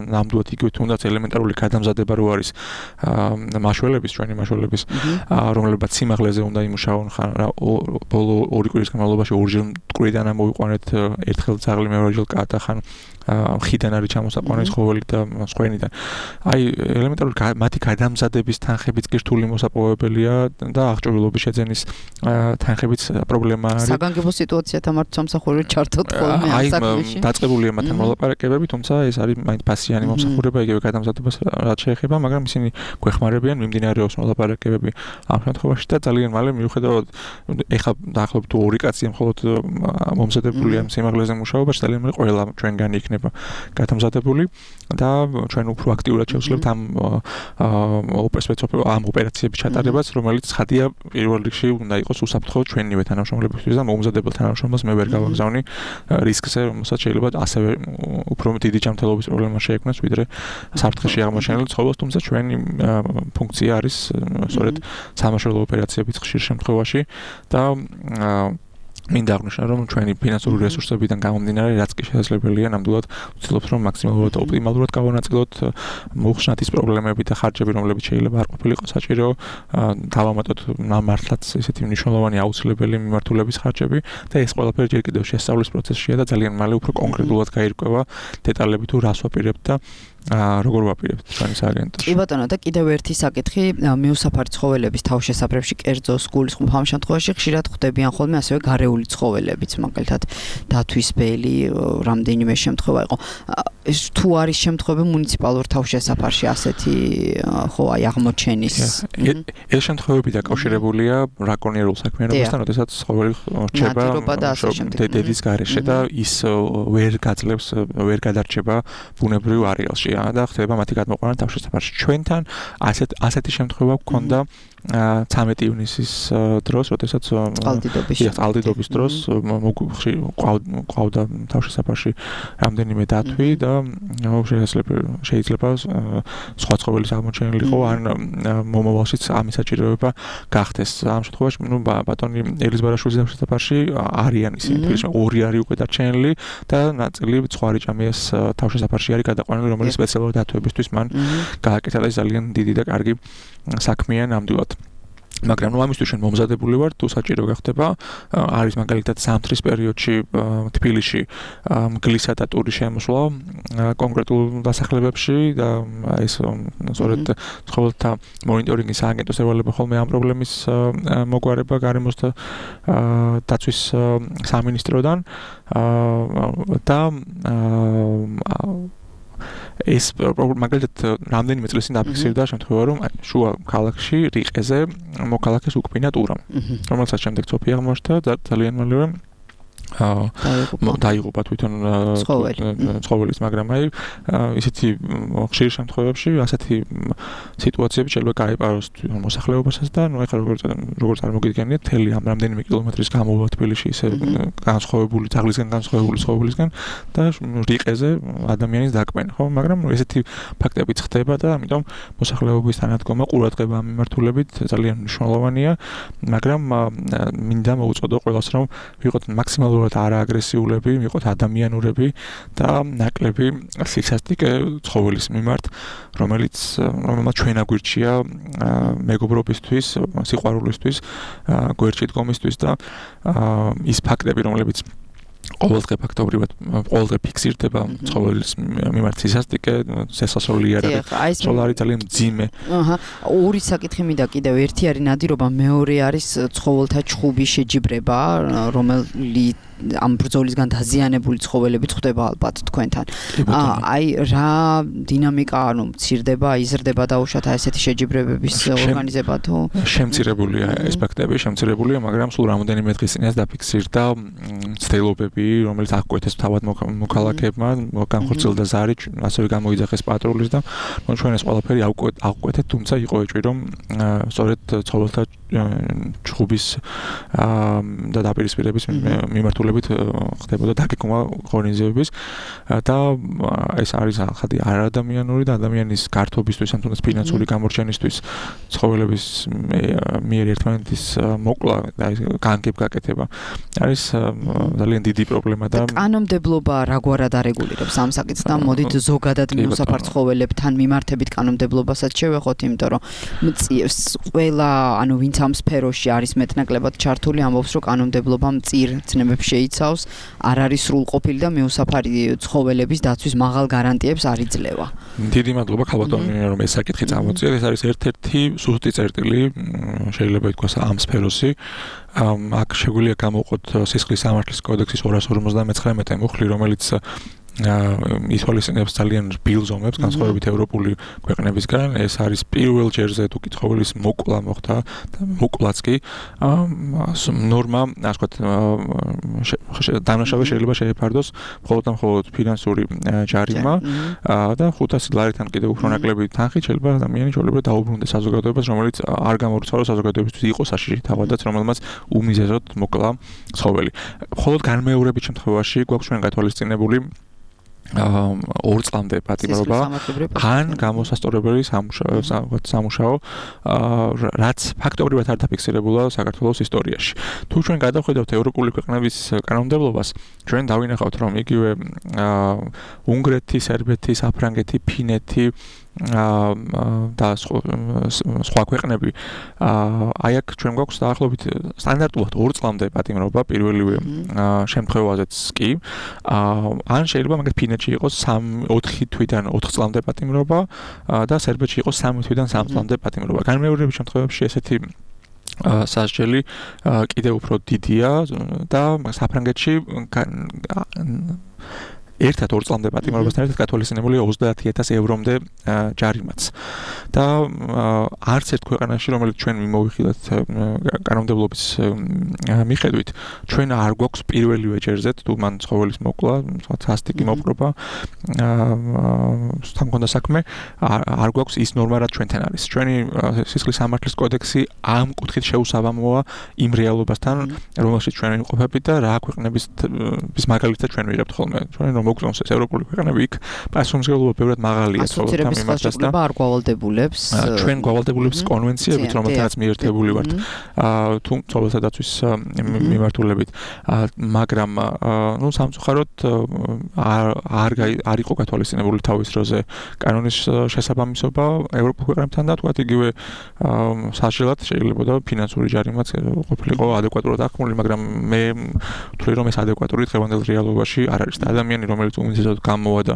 ნამდვილად იგივე თუნდაც ელემენტარული გადამზადება რო არის მაშველების, ჩვენი მაშველების, რომლებიც სიმაღლეზე უნდა იმუშაონ, ბოლო ორი კვირის განმავლობაში ორჯერ მტკვრიდან ამოვიყვანეთ, ერთხელ ძაღლი, მეორეჯერ კატა, ხან ხიდან არის ჩამოსაყვანილი ცხოველი და სხვენიდან. აი, ელემენტარული მათი გადამზადების თანხებიც კი რთული მოსაპოვებელია და აღჭურვილობის შეძენის თანხებიც პრობლემა არის. საგანგებო სიტუაციათა მართ სამსახური ჩართოთ ხოლმე ამ საქმეში. აი, დაწყებულია მათთან მოლაპარაკებები, თუმცა ეს არის მაინც ფასიანი მომსახურება, იგივე გადამზადებას რაც შეეხება, მაგრამ ისინი გვეხმარებიან, მიმდინარეობს მოლაპარაკებები ამ შემთხვევაში და ძალიან მალე მიუხედავად ეხლა დაახლოებით ორი კაცია მხოლოდ მომზადებულია სიმაღლეზე მუშაობაში, ძალიან მალე ყველა ჩვენგანი იქნება გადამზადებული და ჩვენ უფრო აქტიურად შევსლებთ ამ ამ ოპერაციების ჩატარებას, რომელიც ხადია პირველ რიგში უნდა იყოს უსაფრთხო ჩვენივე თანამშრომლებისთვის და მომზადებელ თანამშრომლებს მე ვერ გავაგზავნი რისკზე, რომელსაც შეიძლება ასევე უფრო დიდი ჯანმრთელობის პრობლემა შეექმნას, ვიდრე საფრთხეში აღმოჩენილ ცხოველს, თუმცა ჩვენი ფუნქცია არის სწორედ სამაშველო ოპერაციების ხშირ შემთხვევაში და მინდა აღნიშნო, რომ ჩვენი ფინანსური რესურსებიდან გამომდინარე, რაც კი შესაძლებელია, ნამდვილად ვცდილობთ, რომ მაქსიმალურად ოპტიმალურად გავანაწილოთ მოხსნათ ის პრობლემები და ხარჯები, რომლებიც შეიძლება არ ყოფილიყო საჭირო, დავამატოთ მართლაც ესეთი მნიშვნელოვანი აუცილებელი მიმართულების ხარჯები და ეს ყველაფერი ჯერ კიდევ შესწავლის პროცესშია და ძალიან მალე უფრო კონკრეტულად გაირკვევა დეტალები თუ რას ვაპირებთ და როგორ ვაპირებთ ჩვენი სააგენტოში. კი ბატონო, და კიდევ ერთი საკითხი, მიუსაფარი ცხოველების თავშესაფრებში, კერძოს, გულისხმობ ამ შემთხვევაში ხშირად ხვდებიან ხოლმე ასევე გარეული ცხოველებიც, მაგალითად დათვის ბელი, რამდენიმე შემთხვევა იყო. ეს თუ არის შემთხვევები მუნიციპალურ თავშესაფარში ასეთი ხო აი აღმოჩენის. ეს შემთხვევები დაკავშირებულია ბრაკონიერულ საქმიანობასთან, როდესაც ცხოველი რჩება დედის გარეშე და ის ვერ გაძლევს, ვერ გადარჩება ბუნებრივ არეალში. და ხდება მათი გადმოყვანა თავშესაფარში. ჩვენთან ასეთ ასეთი შემთხვევა გქონდა ცამეტი ივნისის დროს, როდესაც წყალდიდობის დროს ყავდა თავშესაფარში რამდენიმე დათვი და შეიძლება შეიძლება სხვა ცხოველის აღმოჩენილიყო ან მომავალშიც ამის საჭიროება გახდეს. ამ შემთხვევაში ნუ ბატონი ელის ბარაშვილის თავშესაფარში არიან ისინი, თვითონ ორი არის უკვე დარჩენილი და ნაწილი სხვა რიჭამიას თავშესაფარში არის გადაყვანილი, რომელიც სპეციალური დათვებისთვის მან გააკეთა და ძალიან დიდი და კარგი საქმეა ნამდვილად. მაგრამ ნუ ამისთვის ჩვენ მომზადებული ვართ, თუ საჭირო გახდება, არის მაგალითად ზამთრის პერიოდში თბილისში მგლისა და ტურის შემოსვლა კონკრეტულ დასახლებებში და ეს სწორედ ცხოველთა მონიტორინგის სააგენტოს ევალება ხოლმე ამ პრობლემის მოგვარება გარემოს და დაცვის სამინისტროდან და ეს მაგალითად რამდენიმე წლის წინ დაფიქსირდა შემთხვევა, რომ შუა ქალაქში რიყეზე მოქალაქეს უკბინა ტურამ, რომელსაც შემდეგ ცოფი აღმოჩნდა და ძალიან მალევე დაიღუპა თვითონ ცხოველის, მაგრამ აი ისეთი ხშირ შემთხვევებში ასეთი სიტუაციები შეიძლება გაიპაროს მოსახლეობასაც და ნუ ეხლა როგორც როგორც წარმოგიდგენიათ, თელი ამ რამდენიმე კილომეტრის გამოვლა თბილისში ისე განსხვავებული თაღლისგან განსხვავებული ცხოველისგან და რიყეზე ადამიანის დაკმენა, ხო? მაგრამ ესეთი ფაქტებიც ხდება და ამიტომ მოსახლეობის თანადგომა ყურადღება ამ მიმართულებით ძალიან მნიშვნელოვანია, მაგრამ მინდა მოუწოდო ყველას რომ ვიყოთ მაქსიმალურად არააგრესიულები, ვიყოთ ადამიანურები და ნაკლები სისასტიკე ცხოველის მიმართ, რომელიც რომელმაც ჩვენ აგვირჩია მეგობრობისთვის, სიყვარულისთვის, გვერდში დგომისთვის და ის ფაქტები, რომლებიც ყოველდღე ფაქტობრივად ყოველდღე ფიქსირდება ცხოველის მიმართ სისასტიკე, შესასრული არ არის. სოლარი ძალიან მძიმე. აჰა, ორი საკითხი მინდა კიდევ, ერთი არის ნადირობა, მეორე არის ცხოველთა ჩხუბის შეჯიბრება, რომელიც ამ ბრძოლისგან დაზიანებული ცხოველები ხდება ალბათ თქვენთან. აი რა დინამიკა, ანუ მცირდება, იზრდება დაუშვათ ესეთი შეჯიბრებების ორგანიზება თუ შემცირებულია ეს ფაქტები, შემცირებულია, მაგრამ სულ რამოდენიმე დღის წინას დაფიქსირდა ცდილობები, რომელიც აღკვეთეს თავად მოქალაქეებმა, განხორციელდა ზარი, ასევე გამოიძახეს პატრულის და ჩვენ ეს ყველაფერი აღკვეთეთ, თუმცა იყო ეჭვი, რომ სწორედ ცხოველთა ჩხუბის და დაპირისპირების მიმართულებით ხდებოდა დაგეგმვა ღონისძიებების და ეს არის ახალი არადამიანური და ადამიანის გართობისთვის, ან თუნდაც ფინანსური გამორჩენისთვის ცხოველების მიერ ერთმანეთის მოკლა და განგებ გაკეთება არის ძალიან დიდი პრობლემა და კანონმდებლობა რაგვარად არეგულირებს ამ საკითხს და მოდით ზოგადად მიუსაფარ ცხოველებთან მიმართებით კანონმდებლობასაც შევეხოთ, იმიტომ რომ ყველა, ანუ ვინც ამ სფეროში არის მეტნაკლებად ჩართული, ამბობს, რომ კანონმდებლობა მწირ ცნებებს შეიცავს, არ არის სრულყოფილი და მიუსაფარი ცხოველების დაცვის მაღალ გარანტიებს არ იძლევა. დიდი მადლობა ქალბატონი, რომ ეს საკითხი წამოწიეთ. ეს არის ერთ-ერთი სუსტი წერტილი, შეიძლება ითქვას ამ სფეროსი. აქ შეგვიძლია გამოვყოთ სისხლის სამართლის კოდექსის ორას ორმოცდამეცხრამეტე მუხლი, რომელიც ითვალისწინებს ძალიან რბილ ზომებს განსხვავებით ევროპული ქვეყნებისგან. ეს არის პირველ ჯერზე თუ კი ცხოველის მოკლა მოხდა და მოკლაც კი ნორმა, ასე ვთქვათ, დამნაშავე შეიძლება შეეფარდოს მხოლოდ და მხოლოდ ფინანსური ჯარიმა და ხუთასი ლარიდან კიდევ უფრო ნაკლები თანხით შეიძლება ადამიანი ჩვეულებრივად დაუბრუნდეს საზოგადოებას, რომელიც არ გამორჩეულოს საზოგადოებისთვის იყო საშიში თავადაც, რომელმაც უმიზეზოდ მოკლა ცხოველი. მხოლოდ განმეორებით შემთხვევაში გვაქვს ჩვენ გათვალისწინებული ორ წლამდე პატიმრობა ან გამოსასწორებელი სამუშაო, რაც ფაქტობრივად არ დაფიქსირებულა საქართველოს ისტორიაში. თუ ჩვენ გადავხედავთ ევროპული ქვეყნების კანონმდებლობას, ჩვენ დავინახავთ, რომ იგივე უნგრეთი, სერბეთი, საფრანგეთი, ფინეთი და სხვა ქვეყნები, აი აქ ჩვენ გვაქვს დაახლოებით სტანდარტულად ორ წლამდე პატიმრობა პირველივე შემთხვევაზეც კი, ან შეიძლება მაგალითად ფინეთში იყოს ოთხი თვიდან ოთხ წლამდე პატიმრობა და სერბეთში იყოს სამი თვიდან სამ წლამდე პატიმრობა. განმეორების შემთხვევებში ესეთი სასჯელი კიდევ უფრო დიდია და საფრანგეთში ერთად ორ წლამდე პატიმრობასთან ერთად გათვალისწინებულია ოცდაათი ათასი ევრომდე ჯარიმაც. და არც ერთ ქვეყანაში, რომელიც ჩვენ მიმოვიხილეთ კანონმდებლობის მიხედვით, ჩვენ არ გვაქვს პირველივე ჯერზე თუ მან ცხოველის მოკლა, სასტიკი მოპყრობა, თან მქონდა საქმე, არ გვაქვს ის ნორმა, რაც ჩვენთან არის. ჩვენი სისხლის სამართლის კოდექსი ამ კუთხით შეუსაბამოა იმ რეალობასთან, რომელშიც ჩვენ ვიმყოფებით და რა ქვეყნების მაგალითად ჩვენ ვიღებთ ხოლმე. ჩვენ რომ მოგწონს ეს ევროპული ქვეყნები, იქ პასუხისმგებლობა ბევრად მაღალია ცხოველთა მიმართაც და არ გვალდებულებს ჩვენ გვალდებულებს კონვენციებით, რომელთანაც მიერთებული ვართ თუ ცხოველთა დაცვის მიმართულებით, მაგრამ ნუ სამწუხაროდ არ არ იყო გათვალისწინებული თავის დროზე კანონის შესაბამისობა ევროპულ ქვეყნებთან და თქვათ იგივე საშინელად შეიძლება და ფინანსური ჯარიმაც ყოფილიყო ადეკვატურად აღქმული, მაგრამ მე ვთვლი რომ ეს ადეკვატური დღევანდელ რეალობაში არ არის და ადამიანი რომელიც უმეტესად გამოვა და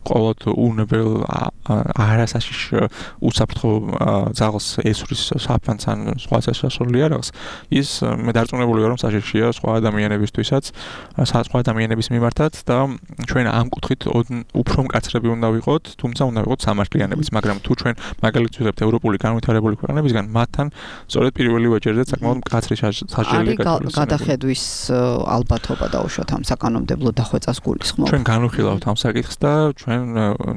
ყოველთ უნებელ არასაშიშ უსაფრთხო ძაღლს ესვრის საფანს ან სხვა სასურველი არაღს ის მე დარწმუნებული ვარ რომ საშიშია სხვა ადამიანებისთვისაც სხვა ადამიანების მიმართაც და ჩვენ ამ კუთხით უფრო მკაცრები უნდა ვიყოთ თუმცა უნდა ვიყოთ სამართლიანებიც მაგრამ თუ ჩვენ მაგალითად ვიღებთ ევროპული განვითარებული ქვეყნებისგან მათთან სწორედ პირველი ვეჭერზე საკმაოდ მკაცრი სასჯელი გათვალისწინებელია. გადახედვის ალბათობა დაუშვათ ამ საკანონმდებლო დახვეწას გულისხმობ. ჩვენ განვიხილავთ ამ საკითხს და ჩვენ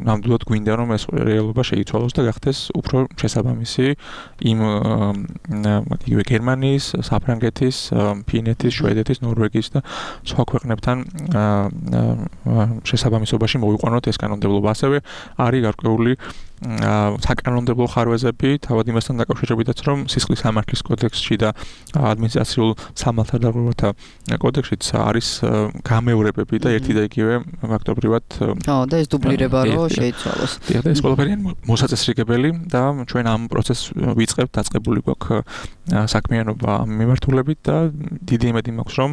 ნამდვილად გვინდა რომ ეს რეალობა შეიცვალოს და გახდეს უფრო შესაბამისი იმ იგივე გერმანიის, საფრანგეთის, ფინეთის, შვედეთის, ნორვეგიის და სხვა ქვეყნებთან შესაბამისობაში მოვიყვანოთ ეს კანონმდებლობა. ასევე არის გარკვეული საკანონმდებლო ხარვეზები თავად იმასთან დაკავშირებითაც რომ სისხლის სამართლის კოდექსში და ადმინისტრაციულ სამართალდაღურვათა კოდექსშიც არის გამეორებები და ერთი და იგივე ფაქტობრივად ხო და ეს დუბლირება რო შეიცვალოს. და ეს ყველაფერი მოსაწესრიგებელი და ჩვენ ამ პროცესს ვიწყებთ დაწყებული გვაქვს საქმიანობა ამ მიმართულებით და დიდი იმედი მაქვს რომ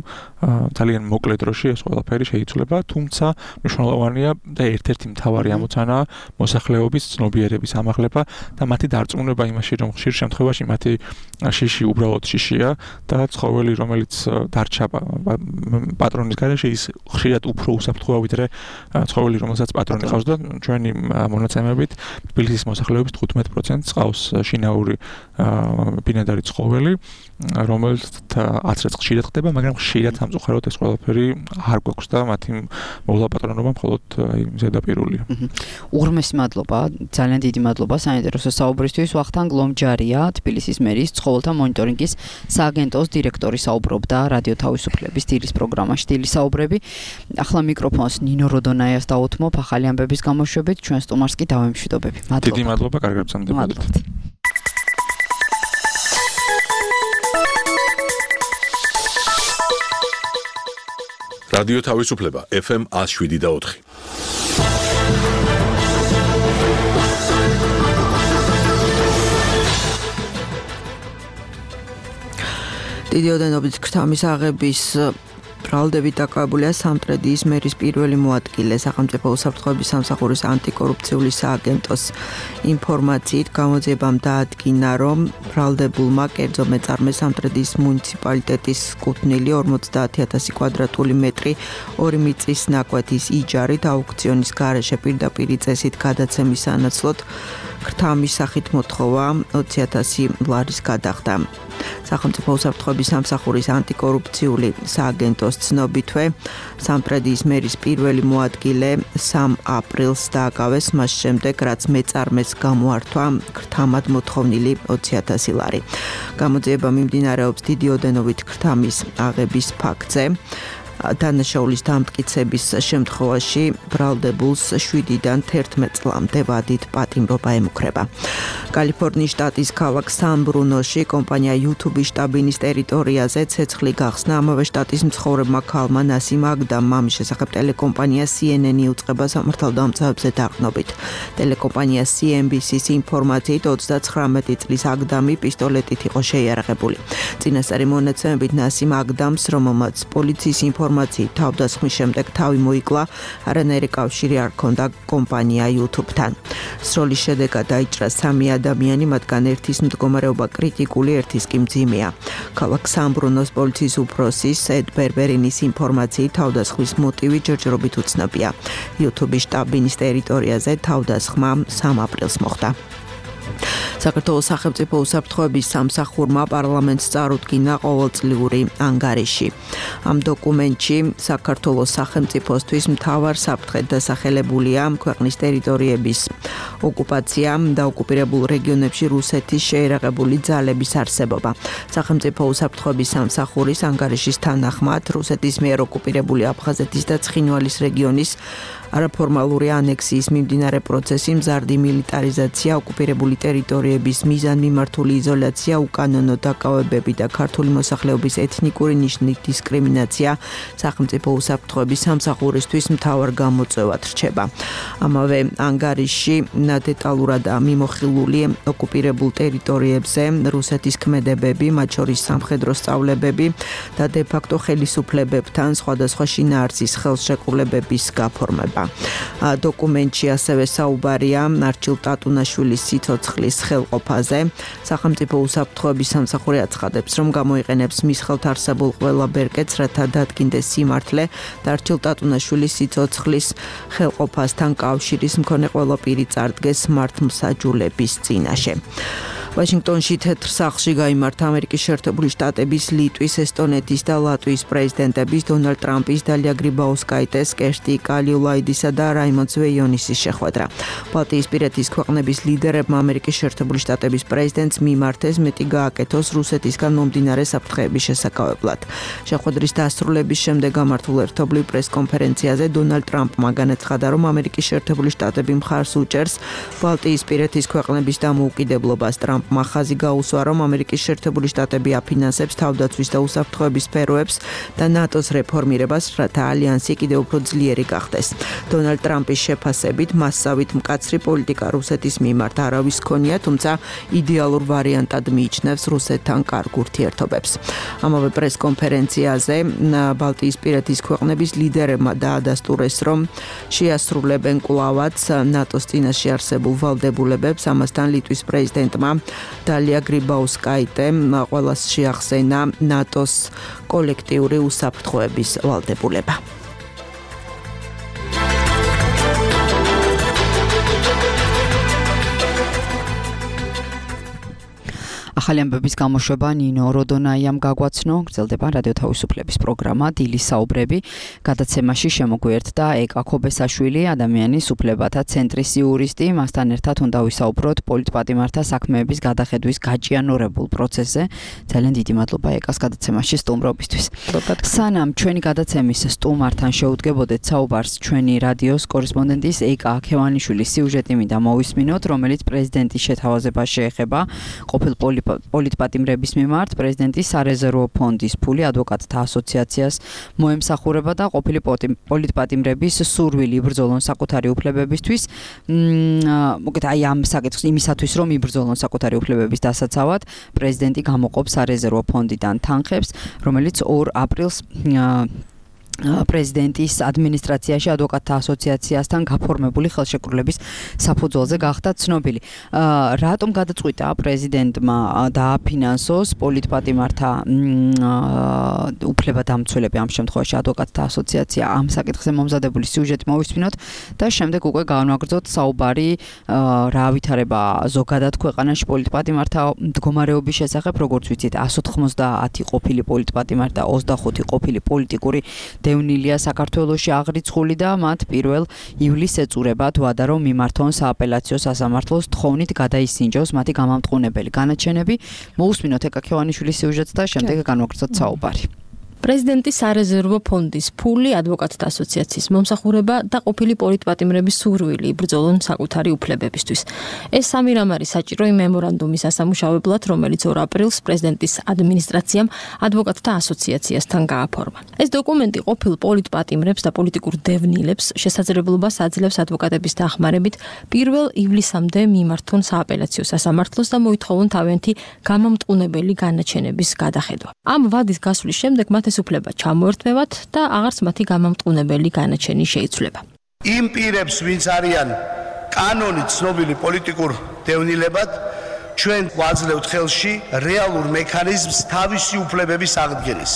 ძალიან მოკლე დროში ეს ყველაფერი შეიცვლება თუმცა მნიშვნელოვანია და ერთ-ერთი მთავარი ამოცანაა მოსახლეობის ცნობიერების ამაღლება და მათი დარწმუნება იმაში რომ ხშირ შემთხვევაში მათი შიში უბრალოდ შიშია და ცხოველი რომელიც დარჩა პატრონის გარეშე ის ხშირად უფრო უსაფრთხოა ვიდრე ცხოველი რომელსაც პატრონი ყავს და ჩვენი მონაცემებით თბილისის მოსახლეობის თხუთმეტ პროცენტს ყავს შინაური ბინადარი ცხოველი რომელიც ათრეც ხშირად ხდება მაგრამ ხშირად სამწუხაროდ ეს ყველაფერი არ გვაქვს და მათი მოვლა პატრონობა მხოლოდ აი ზედაპირულია. უღრმესი მადლობა ძალიან დიდი მადლობა საინტერესო საუბრისთვის. ვახტანგ ლომჯარია თბილისის მერის ცხოველთა მონიტორინგის სააგენტოს დირექტორი საუბრობდა რადიო თავისუფლების დილის პროგრამაში დილის საუბრები. ახლა მიკროფონს ნინო როდონაიას დაუთმობ ახალი ამბების გამოშვებით ჩვენ სტუმარს კი დავემშვიდობები. მადლობა. დიდი მადლობა, კარგად გრძნობთ. რადიო თავისუფლება ეფ ემ one oh seven და four. დიდი ოდენობით ქრთამის აღების ბრალდებით დაკავებულია სამტრედიის მერის პირველი მოადგილე სახელმწიფო უსაფრთხოების სამსახურის ანტიკორუფციული სააგენტოს ინფორმაციით გამოძიებამ დაადგინა რომ ბრალდებულმა კერძო მეწარმე სამტრედიის მუნიციპალიტეტის კუთვნილი ორმოცდაათი ათასი კვადრატული მეტრი ორი მიწის ნაკვეთის იჯარით აუქციონის გარეშე პირდაპირ წესით გადაცემის სანაცვლოდ ქრთამის სახით მოთხოვა ოცი ათასი ლარის გადახდა. სახელმწიფო უსაფრთხოების სამსახურის ანტიკორუფციული სააგენტოს ცნობითვე სამტრედიის მერის პირველი მოადგილე სამ აპრილს დააკავეს მას შემდეგ რაც მეწარმეს გამოართვა ქრთამად მოთხოვნილი ოცი ათასი ლარი. გამოძიება მიმდინარეობს დიდი ოდენობით ქრთამის აღების ფაქტზე. დანაშაულის დამტკიცების შემთხვევაში ბრალდებულს შვიდიდან თერთმეტ წლამდე ვადით პატიმრობა ემუქრება. კალიფორნიის შტატის ქალაქ სან-ბრუნოში კომპანია YouTube-ის შტაბინის ტერიტორიაზე ცეცხლი გახსნა ამავე შტატის მცხოვრებმა ქალმა ნასიმ აგდამ მამის შესახებ ტელეკომპანია C N N უწყება სამართალდამცავებზე დაყრდნობით. ტელეკომპანია C N B C-ის ინფორმაციით ოცდაცხრამეტი წლის აგდამი პისტოლეტით იყო შეიარაღებული. წინასწარი მონაცემებით ნასიმ აგდამს რომელმაც პოლიციის ინფორმაციით თავდასხმის შემდეგ თავი მოიკლა არანაირი კავშირი არ ჰქონდა კომპანია YouTube-თან. სროლის შედეგად დაიჭრა სამი ადამიანი, მათგან ერთის მდგომარეობა კრიტიკული, ერთის კი მძიმეა. ქალაქ სან-ბრუნოს პოლიციის უფროსის ედ ბერბერინის ინფორმაციით თავდასხმის მოტივი ჯერჯერობით უცნობია. YouTube-ის შტაბინის ტერიტორიაზე თავდასხმა სამ აპრილს მოხდა. საქართველოს სახელმწიფო უსაფრთხოების სამსახურმა პარლამენტს წარუდგინა ყოველწლიური ანგარიში. ამ დოკუმენტში საქართველოს სახელმწიფოსთვის მთავარ საფრთხედ დასახელებულია ქვეყნის ტერიტორიების ოკუპაცია და ოკუპირებულ რეგიონებში რუსეთის შეიარაღებული ძალების არსებობა. სახელმწიფო უსაფრთხოების სამსახურის ანგარიშის თანახმად რუსეთის მიერ ოკუპირებული აფხაზეთის და ცხინვალის რეგიონის არაფორმალური ანექსიის მიმდინარე პროცესი, მზარდი მილიტარიზაცია, ოკუპირებული ტერიტორია ტერიტორიების მიზანმიმართული იზოლაცია, უკანონო დაკავებები და ქართული მოსახლეობის ეთნიკური ნიშნის დისკრიმინაცია სახელმწიფო უსაფრთხოების სამსახურისთვის მთავარ გამოწვევად რჩება. ამავე ანგარიშში დეტალურად მიმოხილული ოკუპირებულ ტერიტორიებზე რუსეთის ქმედებები, მათ შორის სამხედრო სწავლებები და დე-ფაქტო ხელისუფლებებთან სხვადასხვა შინაარსის ხელშეკრულებების გაფორმება. დოკუმენტში ასევე საუბარია არჩილ ტატუნაშვილის სიცოცხლის ხელყოფაზე. სახელმწიფო უსაფრთხოების სამსახური აცხადებს, რომ გამოიყენებს მის ხელთ არსებულ ყველა ბერკეტს, რათა დადგინდეს სიმართლე და არჩილ ტატუნაშვილის სიცოცხლის ხელყოფასთან კავშირის მქონე ყველა პირი წარდგეს მართლმსაჯულების წინაშე. ვაშინგტონში თეთრ სახლში გაიმართა ამერიკის შეერთებული შტატების, ლიტვის, ესტონეთის და ლატვიის პრეზიდენტების, დონალდ ტრამპის, დალია გრიბაუსკაიტეს, კერსტი კალიულაიდისა და რაიმონდ ზვეიონისის შეხვედრა. ბალტიისპირეთის ქვეყნების ლიდერებმა ამერიკის შეერთებული შტატების პრეზიდენტს მიმართეს მეტი გააკეთოს რუსეთისგან მომდინარე საფრთხეების შესაკავებლად. შეხვედრის დასრულების შემდეგ გამართულ ერთობლივ პრესკონფერენციაზე დონალდ ტრამპმა განაცხადა, რომ ამერიკის შეერთებული შტატები მხარს უჭერს ბალტიისპირეთის ქვეყნების დამოუკიდებლობას. ტრამპ მახაზი გაუსვა, რომ ამერიკის შეერთებული შტატები აფინანსებს თავდაცვის და უსაფრთხოების სფეროებს და ნატოს რეფორმირებას, რათა ალიანსი კიდევ უფრო ძლიერი გახდეს. დონალდ ტრამპის შეფასებით მასსავით მკაცრი პოლიტიკა რუსეთის მიმართ არავის ქონია, თუმცა იდეალურ ვარიანტად მიიჩნევს რუსეთთან კარგ ურთიერთობებს. ამავე პრესკონფერენციაზე ბალტიისპირეთის ქვეყნების ლიდერებმა დაადასტურეს, რომ შეასრულებენ კვლავაც ნატოს წინაშე არსებულ ვალდებულებებს. ამასთან ლიტვის პრეზიდენტმა დალია გრიბაუსკაიტემ ყველას შეახსენა ნატოს კოლექტიური უსაფრთხოების ვალდებულება. ახალი ამბების გამოშვება ნინო როდონაიამ გაგვაცნო. გრძელდება რადიო თავისუფლების პროგრამა დილის საუბრები. გადაცემაში შემოგვიერთდა ეკა ქობესაშვილი, ადამიანის უფლებათა ცენტრის იურისტი. მასთან ერთად უნდა ვისაუბროთ პოლიტპატიმართა საქმეების გადახედვის გაჭიანურებულ პროცესზე. ძალიან დიდი მადლობა ეკას გადაცემაში სტუმრობისთვის. სანამ ჩვენი გადაცემის სტუმართან შეუდგებოდეთ საუბარს, ჩვენი რადიოს კორესპონდენტის ეკა აქევანიშვილის სიუჟეტი მინდა მოვისმინოთ, რომელიც პრეზიდენტის შეთავაზებას შეეხება ყოფილ პოლიტპატიმრების მიმართ. პრეზიდენტის სარეზერვო ფონდის ფული ადვოკატთა ასოციაციას მოემსახურება და ყოფილი პოლიტპატიმრების სურვილი იბრძოლონ საკუთარი უფლებებისთვის. მოგეთ აი ამ საკითხს იმისათვის რომ იბრძოლონ საკუთარი უფლებების დასაცავად, პრეზიდენტი გამოყოფს სარეზერვო ფონდიდან თანხებს, რომელიც ორ აპრილს პრეზიდენტის ადმინისტრაციაში ადვოკატთა ასოციაციასთან გაფორმებული ხელშეკრულების საფუძველზე გახდა ცნობილი. რატომ გადაწყვიტა პრეზიდენტმა დააფინანსოს პოლიტპატიმართა უფლებადამცველები, ამ შემთხვევაში ადვოკატთა ასოციაცია? ამ საკითხზე მომზადებული სიუჟეტი მოვისმინოთ და შემდეგ უკვე განვაგრძოთ საუბარი რა ვითარება ზოგადად ქვეყანაში პოლიტპატიმართა მდგომარეობის შესახებ. როგორც ვიცით, εκατს ოცდაათი ყოფილი პოლიტპატიმარი და ოცდახუთი ყოფილი პოლიტიკური დევნილია საქართველოში აღრიცხული და მათ პირველ ივლისს ეწურებათ ვადა, რომ მიმართონ სააპელაციო სასამართლოს თხოვნით გადაისინჯოს მათი გამამტყუნებელი განაჩენები. მოусმინოთ ეკა ქევანიშვილის სიუჟეტს და შემდეგ განვაგრძოთ საუბარი. პრეზიდენტის სარეზერვო ფონდის ფული, ადვოკატთა ასოციაციის მომსახურება და ყოფილი პოლიტპატიმრების სურვილი იბრძოლონ საკუთარი უფლებებისთვის. ეს სამი რამ არის საჭირო იმ მემორანდუმის ასამუშავებლად, რომელიც ორ აპრილს პრეზიდენტის ადმინისტრაციამ ადვოკატთა ასოციაციასთან გააფორმა. ეს დოკუმენტი ყოფილ პოლიტპატიმრებს და პოლიტიკურ დევნილებს შესაძლებლობას აძლევს ადვოკატების დახმარებით პირველ ივლისამდე მიმართონ სააპელაციო სასამართლოს და მოითხოვონ თავიანთი გამამტყუნებელი განაჩენების გადახედვა. ამ ვადის გასვლის შემდეგ მათ ეს უფლება ჩამოერთმევათ და აღარც მათი გამამტყუნებელი განაჩენი შეიცვლება. იმ პირებს, ვინც არიან კანონით ცნობილი პოლიტიკურ დევნილებად, ჩვენ გვაძლევთ ხელში რეალურ მექანიზმს თავისი უფლებების აღდგენის.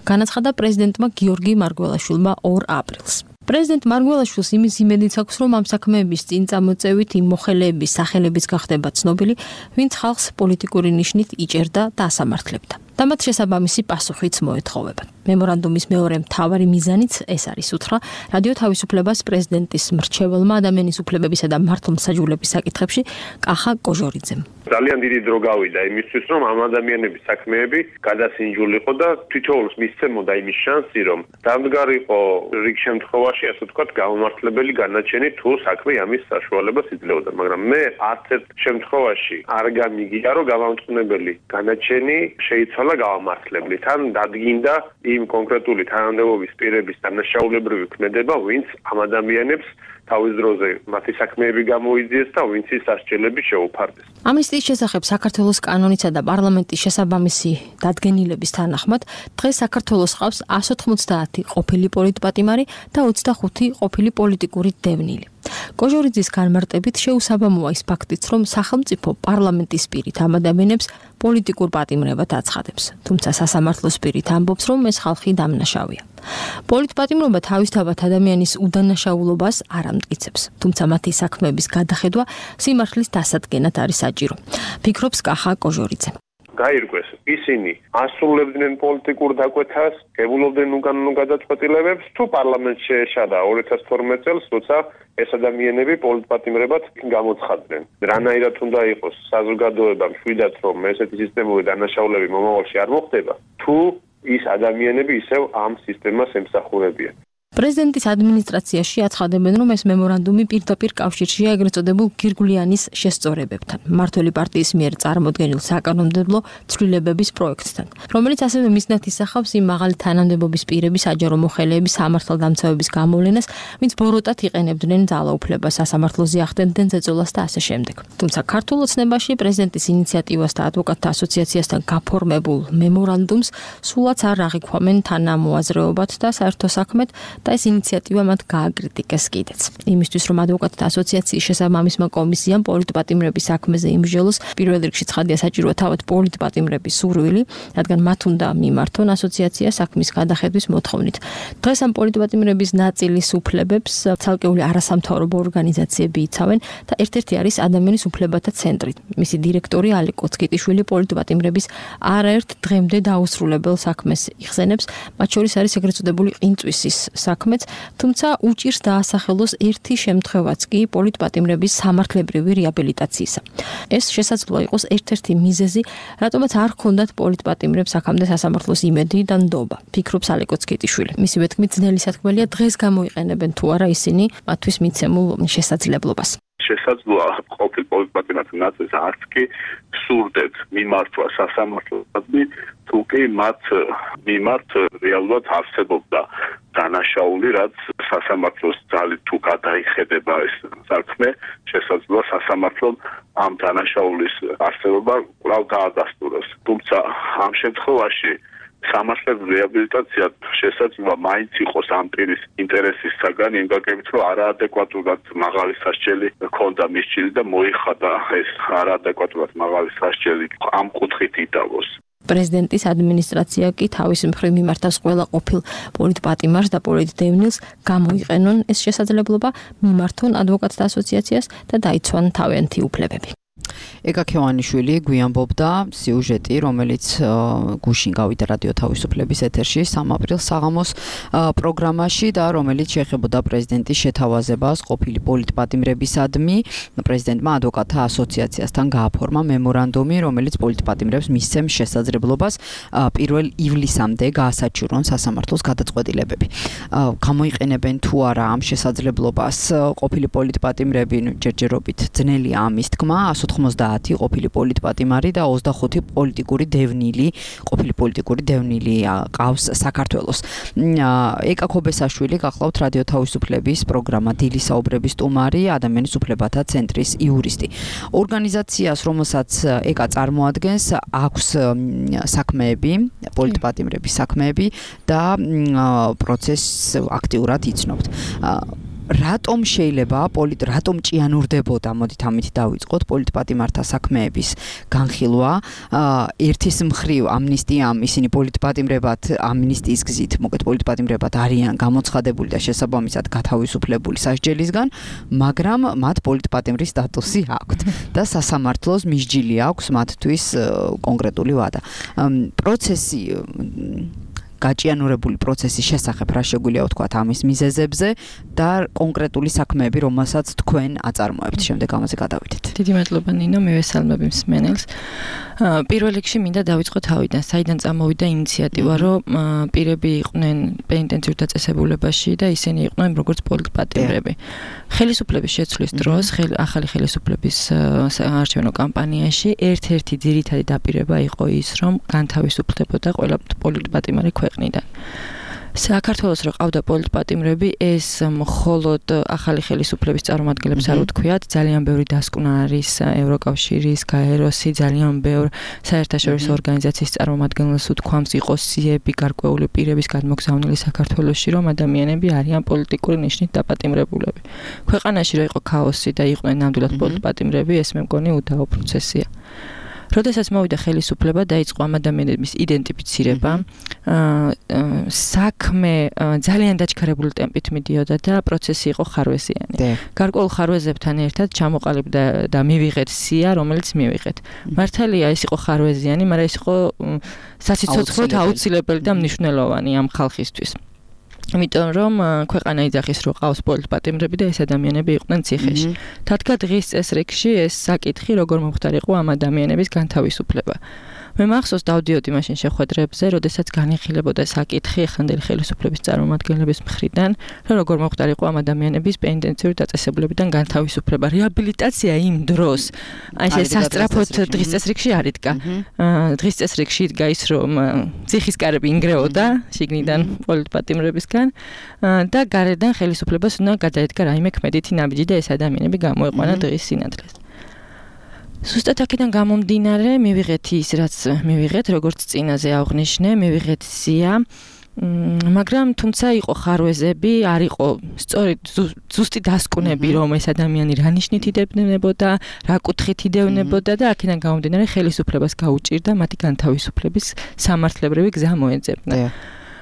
განაცხადა პრეზიდენტმა გიორგი მარგველაშვილმა ორ აპრილს. პრეზიდენტ მარგველაშვილს იმის იმედიც აქვს, რომ ამ საქმეების წინ წამოწევით იმ მოხელეების სახელებიც გახდება ცნობილი, ვინც ხალხს პოლიტიკური ნიშნით იჭერდა და ასამართლებდა. და მათ შესაბამისი პასუხიც მოეთხოვება. მემორანდუმის მეორე მთავარი მიზანიც ეს არის, უთხრა რადიო თავისუფლებას პრეზიდენტის მრჩეველმა ადამიანის უფლებებისა და მართლმსაჯულების საკითხებში კახა კოჟორიძემ. ძალიან დიდი დრო გავიდა იმისთვის, რომ ამ ადამიანების საქმეები გადასინჯულიყო და თითოეულს მისცემოდა იმის შანსი, რომ დამდგარიყო რიგ შემთხვევაში, ასე ვთქვათ, გამომართლებელი განაჩენი თუ საქმე ამის საშუალებას იძლეოდა, მაგრამ მე არც ერთ შემთხვევაში არ გამიგია, რომ გამამწყვეტებელი განაჩენი შეიცვალა გამართლებლით. თან დადგინდა იმ კონკრეტული თანამდებობის პირების დანაშაულებრივი ქმედება, ვინც ამ ადამიანებს თავის დროზე მათი საქმეები გამოიძიეს და ვინც ის სასჯელები შეუფარდეს. ამნისტიის შესახებ საქართველოს კანონისა და პარლამენტის შესაბამისი დადგენილების თანახმად, დღეს საქართველოს ყავს εκατს ოთხმოცდაათი ყოფილი პოლიტპატიმარი და ოცდახუთი ყოფილი პოლიტიკური დევნილი. კოჟორიძის განმარტებით შეუსაბამოა ის ფაქტიც, რომ სახელმწიფო პარლამენტის პირით ამ ადამიანებს პოლიტიკურ პატიმრებად აცხადებს. თუმცა სასამართლოს პირით ამბობს, რომ ეს ხალხი დამნაშავეა. პოლიტპატიმრობა თავისთავად ადამიანის უდანაშაულობას არ ამტკიცებს, თუმცა მათი საქმეების გადახედვა სიმართლის დასადგენად არის საჭირო. ფიქრობს კახა კოჟორიძე. გაირკვეს, ისინი ასრულებდნენ პოლიტიკურ დაკვეთას, გებულობდნენ უკანონო გადაწყვეტილებებს, თუ პარლამენტს შეეშადა ორი ათას თორმეტ წელს, როცა ეს ადამიანები პოლიტპატიმრებად გამოცხადდნენ. რანაირად უნდა იყოს საზოგადოება მშვიდად, რომ ესეთი სისტემური დანაშაულები მომავალში არ მოხდება, თუ ის ადამიანები ისევ ამ სისტემას ემსახურებიან. პრეზიდენტის ადმინისტრაციაში აცხადებენ, რომ ეს მემორანდუმი პირდაპირ კავშირშია ეგრეთ წოდებულ გირგულიანის შესწორებებთან, მმართველი პარტიის მიერ წარმოდგენილ საკანონმდებლო ცვლილებების პროექტთან, რომელიც ასევე მიზნად ისახავს იმ მაღალი თანამდებობის პირების საჯარო მოხელეების სამართალდამცავების გამოვლენას, ვინც ბოროტად იყენებდნენ ძალაუფლებას, სასამართლოზე ახდენდნენ ზეწოლას და ასე შემდეგ. თუმცა ქართულ ოცნებაში პრეზიდენტის ინიციატივას და ადვოკატთა ასოციაციასთან გაფორმებულ მემორანდუმს სულაც არ აღიქვამენ თანამოაზრეობად და საერთო საქმედ და ეს ინიციატივა მათ გააკრიტიკეს კიდეც. იმისთვის, რომ ადვოკატთა ასოციაციის შესაბამისმა კომისიამ პოლიტპატიმრების საქმეზე იმსჯელოს, პირველ რიგში ცხადია საჭიროა თავად პოლიტპატიმრების სურვილი, რადგან მათ უნდა მიმართონ ასოციაცია საქმის გადახედვის მოთხოვნით. დღეს ამ პოლიტპატიმრების ნაწილის უფლებებს ცალკეული არასამთავრობო ორგანიზაციები იცავენ და ერთ-ერთი არის ადამიანის უფლებათა ცენტრი. მისი დირექტორი ალი კოცკიტიშვილი პოლიტპატიმრების არაერთ დღემდე დაუსრულებელ საქმეს იხსენებს, მათ შორის არის ეგრეთ წოდებული ყინწვისის საქმეც, თუმცა უჭირს დაასახელოს ერთი შემთხვევაც კი პოლიტპატიმრების სამართლებრივი რეაბილიტაციისა. ეს შესაძლოა იყოს ერთ-ერთი მიზეზი, რატომაც არ ჰქონდათ პოლიტპატიმრებს აქამდე სასამართლოს იმედი და ნდობა, ფიქრობს ალი კოცკიტიშვილი. მისივე თქმით, ძნელი სათქმელია დღეს გამოიყენებენ თუ არა ისინი მათთვის მიცემულ შესაძლებლობას. შესაძლოა ყოფილ პოლიტპატიმრთა ნაწილს არც კი სურდეთ მიმართვა სასამართლოსადმი, თუ კი მათ მიმართ რეალურად არსებობდა დანაშაული, რაც სასამართლოს ძალით თუ გადაიხედება ეს საქმე, შესაძლოა სასამართლომ ამ დანაშაულის არსებობა კვლავ დაადასტუროს. თუმცა ამ შემთხვევაში სამართლებრივი რეაბილიტაცია შესაძლოა მაინც იყოს ამ პირის ინტერესის საგანი, იმ გაგებით, რომ არაადეკვატურად მაღალი სასჯელი ჰქონდა მისჯილი და მოიხადა ეს არაადეკვატურად მაღალი სასჯელი ამ კუთხით იდავოს. პრეზიდენტის ადმინისტრაცია კი თავის მხრივ მიმართავს ყველა ყოფილ პოლიტპატიმარს და პოლიტდევნილს გამოიყენონ ეს შესაძლებლობა, მიმართონ ადვოკატთა ასოციაციას და დაიცვან თავიანთი უფლებები. ეკა ქევანიშვილი გვიანბობდა სიუჟეტი, რომელიც გუშინ გავიდა რადიო თავისუფლების ეთერში სამი აპრილს საღამოს პროგრამაში და რომელიც შეეხებოდა პრეზიდენტის შეთავაზებას ყოფილი პოლიტპატიმრებისადმი. პრეზიდენტმა ადვოკატთა ასოციაციასთან გააფორმა მემორანდუმი, რომელიც პოლიტპატიმრებს მისცემს შესაძლებლობას პირველ ივლისამდე გაასაჩივრონ სასამართლოს გადაწყვეტილებები. გამოიყენებენ თუ არა ამ შესაძლებლობას ყოფილი პოლიტპატიმრები, ჯერჯერობით ძნელია ამის თქმა, εκατს ოთხმოცდაათი ყოფილი პოლიტპატიმარი და ოცდახუთი პოლიტიკური დევნილი, ყოფილი პოლიტიკური დევნილი ყავს საქართველოს. ეკა ქობესაშვილი გახლავთ რადიო თავისუფლების პროგრამა დილის საუბრების სტუმარი, ადამიანის უფლებათა ცენტრის იურისტი. ორგანიზაციას, რომელსაც ეკა წარმოადგენს, აქვს საქმეები, პოლიტპატიმრების საქმეები და პროცესს აქტიურად იცნობთ. რატომ შეიძლება პოლიტ რატომ ჭიანურდებოდა, მოდით ამით დავიწყოთ, პოლიტპატიმართა საქმეების განხილვა, ერთის მხრივ ამნისტიამ ისინი პოლიტპატიმრებად ამნისტიის გზით, მოკეთ პოლიტპატიმრებად არიან გამოცხადებული და შესაბამისად გათავისუფლებული სასჯელისგან, მაგრამ მათ პოლიტპატიმრის სტატუსი აქვთ და სასამართლოს მისჯილი აქვს მათთვის კონკრეტული ვადა. პროცესი გაჭიანურებული პროცესის შესახებ რა შეგვიძლია ვთქვათ ამის მიზეზებზე და კონკრეტული საქმეები, რომელსაც თქვენ აწარმოებთ, შემდეგ ამაზე გადავიდეთ. დიდი მადლობა ნინო, მივესალმები მსმენელს. პირველ რიგში მინდა დავიწყო თავიდან, საიდან წამოვიდა ინიციატივა, რომ პირები იყვნენ პენიტენციურ დაწესებულებაში და ისინი იყვნენ როგორც პოლიტპატიმრები. ხელისუფლების შეცვლის დროს, ახალი ხელისუფლების საარჩევნო კამპანიაში ერთ-ერთი ძირითადი დაპირება იყო ის, რომ განთავისუფლდებოდა ყველა პოლიტპატიმარი ქვეყნიდან. საქართველოს რო ყავდა პოლიტპატიმრები, ეს მხოლოდ ახალი ხელისუფლების წარმომადგენლებს არ უთქვიათ, ძალიან ბევრი დასკვნა არის ევროკავშირის, გაეროსი, ძალიან ბევრ საერთაშორისო ორგანიზაციის წარმომადგენლებს უთქვამს, იყო სიები, გარკვეული პირების გადმოგზავნილი საქართველოში, რომ ადამიანები არიან პოლიტიკური ნიშნით დაპატიმრებულები. ქვეყანაში რო იყო ქაოსი და იყვნენ ნამდვილად პოლიტპატიმრები, ეს მე მგონი უდაო პროცესია. როდესაც მოვიდა ხელისუფლება, დაიწყო ამ ადამიანების იდენტიფიცირება, საქმე ძალიან დაჩქარებული ტემპით მიდიოდა და პროცესი იყო ხარვეზიანი. გარკვეულ ხარვეზებთან ერთად ჩამოყალიბდა და მივიღეთ სია, რომელიც მივიღეთ. მართალია, ეს იყო ხარვეზიანი, მაგრამ ეს იყო საციცოცხლოდ აუცილებელი და მნიშვნელოვანი ამ ხალხისთვის. იმიტომ რომ ქვეყანა იძახის რომ ყავს პოლიტპატიმრები და ეს ადამიანები იყვნენ ციხეში. თადგა დღის წესრიგში ეს საკითხი როგორ მომხდარიყო ამ ადამიანების განთავისუფლება. მე მახსოვს დავდიოდი მაშინ შეხვედრებზე, როდესაც განიხილებოდა საკითხი ეხანდელი ხელისუფლების წარმომადგენლების მხრიდან, რომ როგორ მომხდარიყო ამ ადამიანების პენიტენციური დაწესებულებიდან განთავისუფლება. რეაბილიტაცია იმ დროს აი ეს სასწრაფოდ დღის წესრიგში არ იდგა. დღის წესრიგში იდგა ის, რომ ციხის კარები ინგრეოდა შიგნიდან პოლიტპატიმრებისგან და გარედან ხელისუფლებას უნდა გადაედგა რაიმე ქმედითი ნაბიჯი და ეს ადამიანები გამოეყვანა დღის სინათლეს. Სუსტად აქედან გამომდინარე, მივიღეთ ის, რაც მივიღეთ, როგორც წინაზე აღვნიშნე, მივიღეთ სია, მაგრამ თუმცა იყო ხარვეზები, არ იყო სწორი ზუსტი დასკვნები, რომ ეს ადამიანი რა ნიშნით იდევნებოდა, რა კუთხით იდევნებოდა და აქედან გამომდინარე ხელისუფლებას გაუჭირდა მათი განთავისუფლების სამართლებრივი გზა მოეძებნა.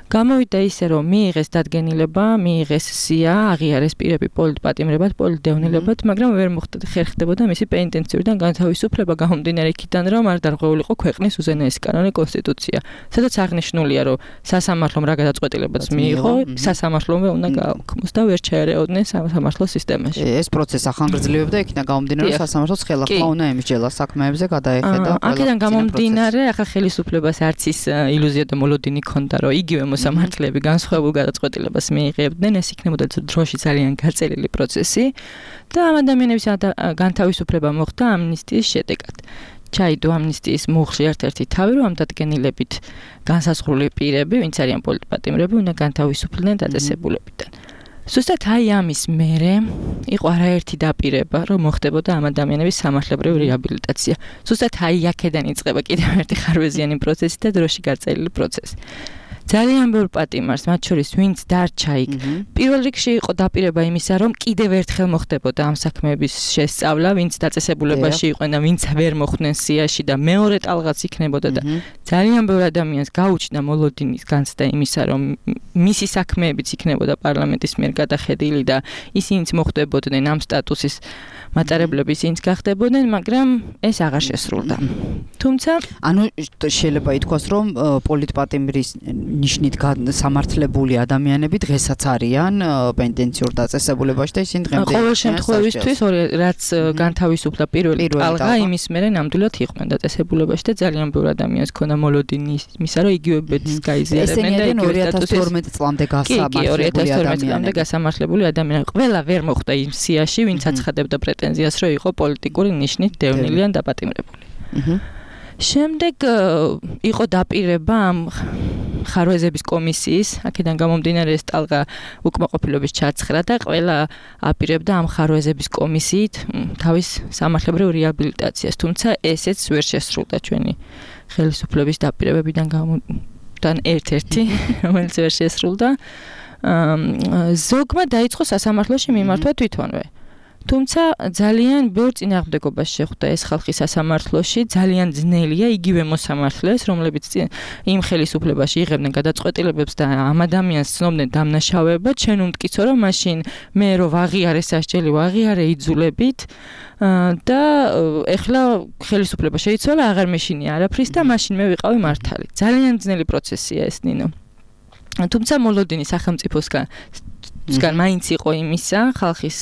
გამოვიდა ისე, რომ მიიღეს დადგენილება, მიიღეს სია, აღიარეს პირები პოლიტპატიმრებად, პოლიტდევნილებად, მაგრამ ვერ ხერხდებოდა მისი პენიტენციურიდან განთავისუფლება გამომდინარე იქიდან, რომ არ დარღვეულიყო ქვეყნის უზენაესი კანონი კონსტიტუცია. სადაც აღნიშნულია, რომ სასამართლომ რა გადაწყვეტილებაც მიიღო, სასამართლომვე უნდა გააქვმოს და ვერ ჩაერეოდნენ სასამართლო სისტემაში. ეს პროცესი ახანგრძლივებდა იქიდან გამომდინარე, რომ სასამართლოს ხელახლა უნდა ემსჯელა საქმეებზე გადაეხედა. აქედან გამომდინარე, ახლა ხელისუფლებას არც ის ილუზია და მოლოდინი ჰქონდა, რომ იგივე სამართლები განსხვავებულ გადაწყვეტილებას მიიღებდნენ, ეს იქნებოდა დროში ძალიან გაწელილი პროცესი და ამ ადამიანების განთავისუფლება მოხდა ამნისტიის შედეგად. ჩაიდო ამნისტიის მუხლში ერთ-ერთი თავი, რომ ამ დადგენილებით განსაზღვრული პირები, ვინც არიან პოლიტპატიმრები, უნდა განთავისუფლდნენ დაწესებულებიდან. ზუსტად აი ამის მერე იყო არაერთი დაპირება, რომ მოხდებოდა ამ ადამიანების სამართლებრივი რეაბილიტაცია. ზუსტად აი აქედან იწყება კიდევ ერთი ხარვეზიანი პროცესი და დროში გაწელილი პროცესი. ძალიან ბევრ პატიმარს, მათ შორის ვინც დარჩა იქ. პირველ რიგში იყო დაპირება იმისა, რომ კიდევ ერთხელ მოხდებოდა ამ საქმეების შესწავლა, ვინც დაწესებულებაში იყვნენ და ვინც ვერ მოხვდნენ სიაში და მეორე ტალღაც იქნებოდა და ძალიან ბევრ ადამიანს გაუჩნდა მოლოდინის განცდა იმისა, რომ მისი საქმეებიც იქნებოდა პარლამენტის მიერ გადახედილი და ისინიც მოხდებოდნენ ამ სტატუსის მატარებლები, ისინიც გახდებოდნენ, მაგრამ ეს აღარ შესრულდა. თუმცა, ანუ შეიძლება ითქვას, რომ პოლიტპატიმრის ნიშნით სამართლებული ადამიანები დღესაც არიან პენიტენციურ დაწესებულებაში და ისინი დღემდე ყოველ შემთხვევისთვის რაც განთავისუფლდა პირველი ტალღა იმის მერე ნამდვილად იყვნენ დაწესებულებაში და ძალიან ბევრ ადამიანს ქონდა მოლოდინი იმისა, რომ იგივეებიც გაიზიარებდნენ და იგივე ორი ათას თორმეტ წლამდე გასამართლებული ადამიანები გასამართლებული ადამიანები ყველა ვერ მოხვდა იმ სიაში, ვინც აცხადებდა პრეტენზიას, რომ იყო პოლიტიკური ნიშნით დევნილი ან დაპატიმრებული. შემდეგ იყო დაპირება ამ ხარვეზების კომისიის, აქედან გამომდინარე ეს ტალღა უკმაყოფილების ჩაცხრა და ყველა აპირებდა ამ ხარვეზების კომისიით თავის სამართლებრივ რეაბილიტაციას, თუმცა ესეც ვერ შესრულდა ჩვენი ხელისუფლების დაპირებებიდან გამომდინარე ერთ-ერთი, რომელიც ვერ შესრულდა. ზოგმა დაიწყო სასამართლოში მიმართვა თვითონვე. თუმცა ძალიან ბევრ წინააღმდეგობას შეხვდა ეს ხალხი სასამართლოში, ძალიან ძნელია იგივე მოსამართლეს, რომლებიც იმ ხელისუფლებაში იღებდნენ გადაწყვეტილებებს და ამ ადამიანს ცნობდნენ დამნაშავეებად, შენ უმტკიცო რომ მაშინ მე რო ვაღიარე სასჯელი, ვაღიარე იძულებით და ეხლა ხელისუფლება შეიცვალა, აღარ მეშინია არაფრის და მაშინ მე ვიყავი მართალი. ძალიან ძნელი პროცესია ეს ნინო. თუმცა მოლოდინი სახელმწიფოსგან მაინც იყო იმისა, ხალხის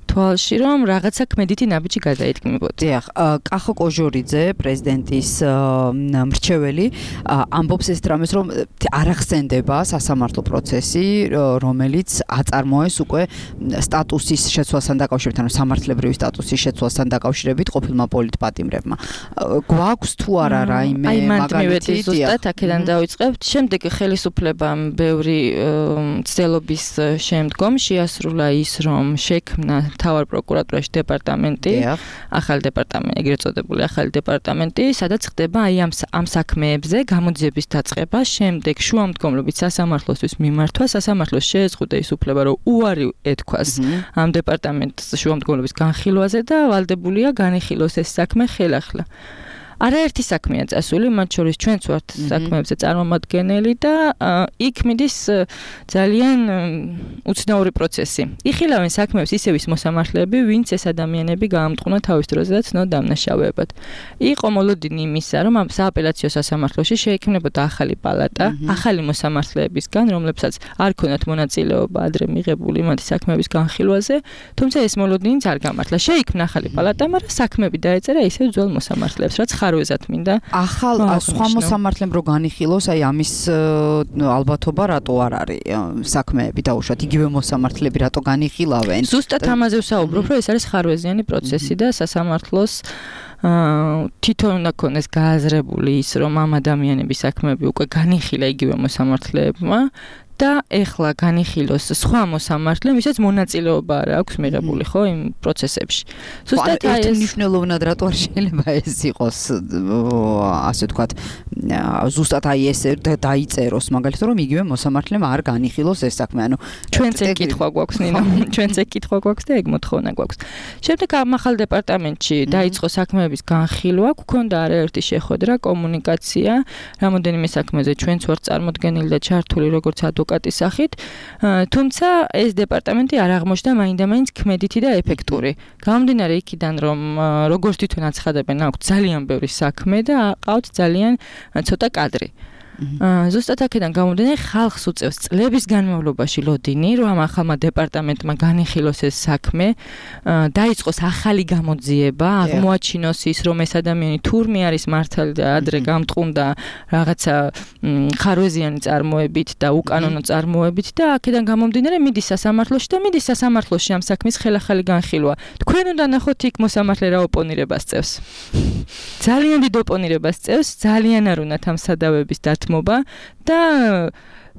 თვალში რომ რაღაცა ქმედითი ნაბიჯი გადაიდგმებოდა. დიახ, კახო კოჟორიძე, პრეზიდენტის მრჩეველი, ამბობს ეს რამეს, რომ არ ახსენდება სასამართლო პროცესი, რომელიც აწარმოეს უკვე სტატუსის შეცვლასთან დაკავშირებით, ანუ სამართლებრივი სტატუსის შეცვლასთან დაკავშირებით ყოფილმა პოლიტპატიმრებმა. გვაქვს თუ არა რაიმე მაგალითი, ზუსტად აქედან დავიწყებთ. შემდეგ ხელისუფლებამ ბევრი ცდილობის შემდგომ შეასრულა ის, რომ შექმნა თავარ პროკურატურაში დეპარტამენტი, ახალი დეპარტამენტი, ეგრეთ წოდებული ახალი დეპარტამენტი, სადაც ხდება აი ამ ამ საქმეებზე გამოძიების დაწყება, შემდეგ შუამდგომლობით სასამართლოსთვის მიმართვა, სასამართლოს შეეზღუდა ის უფლება, რომ უარი ეთქვას ამ დეპარტამენტს შუამდგომლობის განხილვაზე და ვალდებულია განიხილოს ეს საქმე ხელახლა. არაერთი საქმეა წასული, მათ შორის ჩვენც ვართ საქმეებზე წარმომადგენელი და იქ მიდის ძალიან უცნაური პროცესი. იხილავენ საქმეებს ისევ ის მოსამართლეები, ვინც ეს ადამიანები გაამტყუნა თავის დროზე და ცნო დამნაშავეებად. იყო მოლოდინი იმისა, რომ ამ სააპელაციო სასამართლოში შეექმნებოდა ახალი პალატა, ახალი მოსამართლეებისგან, რომლებსაც არ ქონათ მონაწილეობა ადრე მიღებული მათი საქმეების განხილვაზე, თუმცა ეს მოლოდინიც არ გამართლა. შეიქმნა ახალი პალატა, მაგრამ საქმეები დაეწერა ისევ ძველ მოსამართლეებს, რაც ხარვეზად მინდა. ახალ სხვა მოსამართლემ რო განიხილოს, აი ამის ალბათობა რატო არ არის საქმეები დაუშვათ, იგივე მოსამართლეები რატო განიხილავენ? ზუსტად ამაზე ვსაუბრობ, რომ ეს არის ხარვეზიანი პროცესი და სასამართლოს თვითონ უნდა ქონდეს გააზრებული ის, რომ ამ ადამიანების საქმეები უკვე განიხილა იგივე მოსამართლეებმა და ეხლა განიხილოს სხვა მოსამართლემ, ვისაც მონაწილეობა არ აქვს მიღებული, ხო, იმ პროცესებში. ზუსტად აი ეს მნიშვნელოვნად რატო არ შეიძლება ეს იყოს, ასე ვთქვათ, ზუსტად აი ეს დაიწეროს, მაგალითად, რომ იგივე მოსამართლემ არ განიხილოს ეს საქმე, ანუ ჩვენც ეგ კითხვა გვაქვს, ნინო, ჩვენც ეგ კითხვა გვაქვს და ეგ მოთხოვნა გვაქვს. შემდეგ ამ ახალ დეპარტამენტში დაიწყო საქმეების განხილვა, გვქონდა არაერთი შეხვედრა, კომუნიკაცია, რამოდენიმე საქმეზე ჩვენც ვართ წარმოდგენილი და ჩართული როგორც ადვოკატის სახით, თუმცა ეს დეპარტამენტი არ აღმოჩნდა მაინდა-მაინც ქმედითი და ეფექტური. გამომდინარე იქიდან, რომ როგორც თვითონ აცხადებენ, აქვს ძალიან ბევრი საქმე და აყავთ ძალიან ცოტა კადრი. ზუსტად აქედან გამომდინარე, ხალხს უწევს წლების განმავლობაში ლოდინი, რომ ამ ახალმა დეპარტამენტმა განიხილოს ეს საქმე, დაიწყოს ახალი გამოძიება, აღმოაჩინოს ის, რომ ეს ადამიანი თურმე არის მართალი და ადრე გამტყუნდა რაღაცა ხარვეზიანი წარმოებით და უკანონო წარმოებით და აქედან გამომდინარე მიდის სასამართლოში და მიდის სასამართლოში ამ საქმის ხელახალი განხილვა. თქვენ უნდა ნახოთ იქ მოსამართლე რა ოპონირებას წევს. ძალიან დიდ ოპონირებას წევს, ძალიან არ უნდათ ამ სადავების დათმობა და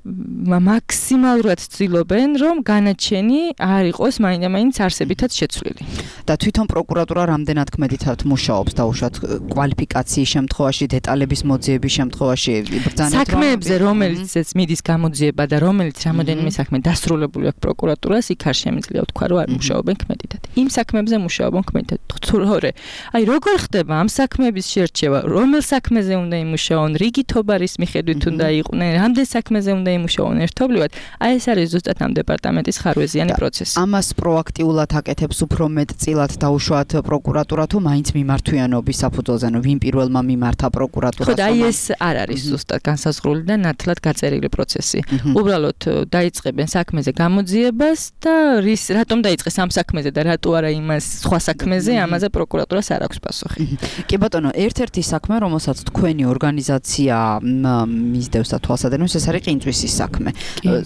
მაქსიმალურად ცდილობენ, რომ განაჩენი არ იყოს მაინდა-მაინც არსებითაც შეცვლილი. და თვითონ პროკურატურა რამდენად ქმედითად მუშაობს დაუშვათ კვალიფიკაციის შემთხვევაში, დეტალების მოძიების შემთხვევაში, ბრძანებთ საქმეებზე, რომელიც მიდის გამოძიება და რომელიც რამოდენიმე საქმე დასრულებული აქვს პროკურატურას, იქ არ შემიძლია ვთქვა, რომ არ მუშაობენ ქმედითად. იმ საქმეებზე მუშაობენ ქმედითად. თორე, აი როგორ ხდება ამ საქმეების შერჩევა, რომელ საქმეზე უნდა იმუშაონ, რიგით ობარის მიხედვით უნდა იყვნენ, რამდენ საქმეზე უნდა იმუშაონ ერთობლივად, აი ეს არის ზუსტად ამ დეპარტამენტის ხარვეზიანი პროცესი. ამას პროაქტიულად აკეთებს უფრო მეტწილად დაუშვათ პროკურატურა თუ მაინც მიმართვიანობის საფუძველზე, ანუ ვინ პირველმა მიმართა პროკურატურას. ხო, აი ეს არ არის ზუსტად განსაზღვრული და ნათლად გაწერილი პროცესი. უბრალოდ დაიწყებენ საქმეზე გამოძიებას და რის რატომ დაიწყეს ამ საქმეზე და რატო არა იმას სხვა საქმეზე, ამაზე პროკურატურას არ აქვს პასუხი. კი ბატონო, ერთ-ერთი საქმე, რომელსაც თქვენი ორგანიზაცია მისდევს და თვალსადენის, ეს არის ყინწვისის საქმე.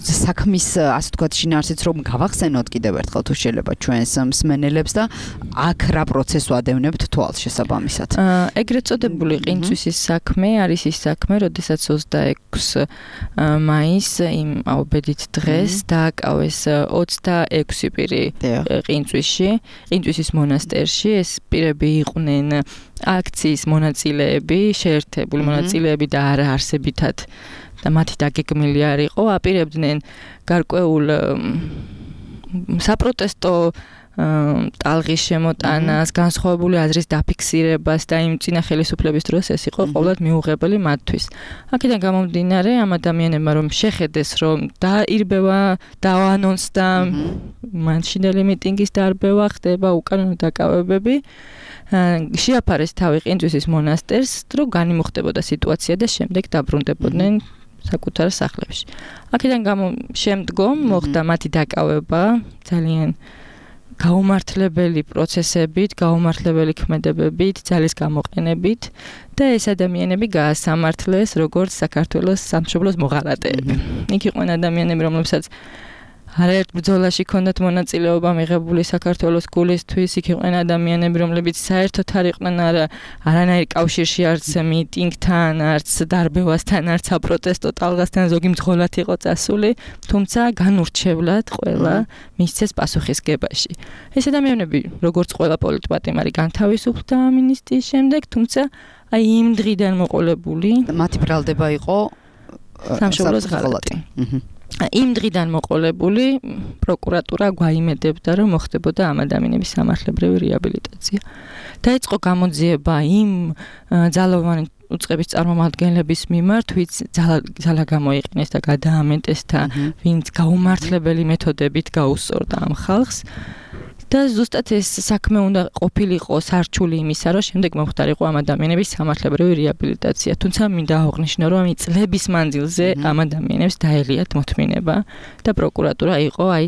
საქმის, ასე ვთქვათ, შინაარსიც რომ გავახსენოთ კიდევ ერთხელ თუ შეიძლება ჩვენს მსმენელებს და აქ რა პროცესს ვადევნებთ თვალს შესაბამისად. ეგრეთ წოდებული ყინწვისის საქმე არის ის საქმე, როდესაც ოცდაექვსი მაისს იმ აუბედით დღეს დააკავეს ოცდაექვსი პირი ყინწვისში, ყინწვისის მონასტერში. ეს პირები იყვნენ აქციის მონაწილეები, შეერთებული მონაწილეები და არა არსებითად და მათი დაგეგმილი არ იყო, აპირებდნენ გარკვეულ საპროტესტო ტალღის შემოტანას, განსხვავებული აზრის დაფიქსირებას და იმ წინა ხელისუფლების დროს ეს იყო ყოველად მიუღებელი მათთვის. აქედან გამომდინარე, ამ ადამიანებმა რომ შეხედეს, რომ დაირბევა, დაანონსდა მანჩინელი მიტინგის დარბევა, ხდება უკანონო დაკავებები, შეაფარეს თავი ყინწვისის მონასტერს, რომ განიმუხტებოდა სიტუაცია და შემდეგ დაბრუნდებოდნენ საკუთარ სახლებში. აქედან გამო შემდგომ მოხდა მათი დაკავება ძალიან გაუმართლებელი პროცესებით, გაუმართლებელი ქმედებებით, ძალის გამოყენებით და ეს ადამიანები გაასამართლეს როგორც საქართველოს სამშობლოს მოღალატეები. იქ იყვნენ ადამიანები, რომლებსაც არაერთ ბრძოლაში ჰქონდათ მონაწილეობა მიღებული საქართველოს გულისთვის, იქ იყვნენ ადამიანები, რომლებიც საერთოდ არ იყვნენ არა არანაირ კავშირში არც მიტინგთან, არც დარბევასთან, არც საპროტესტო ტალღასთან, ზოგი მძღოლად იყო წასული, თუმცა განურჩევლად ყველა მისცეს პასუხისგებაში. ეს ადამიანები, როგორც ყველა პოლიტპატიმარი, განთავისუფლდა ამინისტიის შემდეგ, თუმცა აი იმ დღიდან მოყოლებული მათი ბრალდება იყო სამშობლოს ღალატი. იმ დღიდან მოყოლებული პროკურატურა გვაიმედებდა, რომ მოხდებოდა ამ ადამიანების სამართლებრივი რეაბილიტაცია. დაიწყო გამოძიება იმ ძალოვანი უწყების წარმომადგენლების მიმართ, ვინც ძალა გამოიყენეს და გადაამეტეს და ვინც გაუმართლებელი მეთოდებით გაუსწორდა ამ ხალხს. და ზუსტად ეს საქმე უნდა ყოფილიყო სარჩული იმისა, რომ შემდეგ მომხდარიყო ამ ადამიანების სამართლებრივი რეაბილიტაცია. თუმცა მინდა აღვნიშნო, რომ ამ წლების მანძილზე ამ ადამიანებს დაელიათ მოთმინება და პროკურატურა იყო აი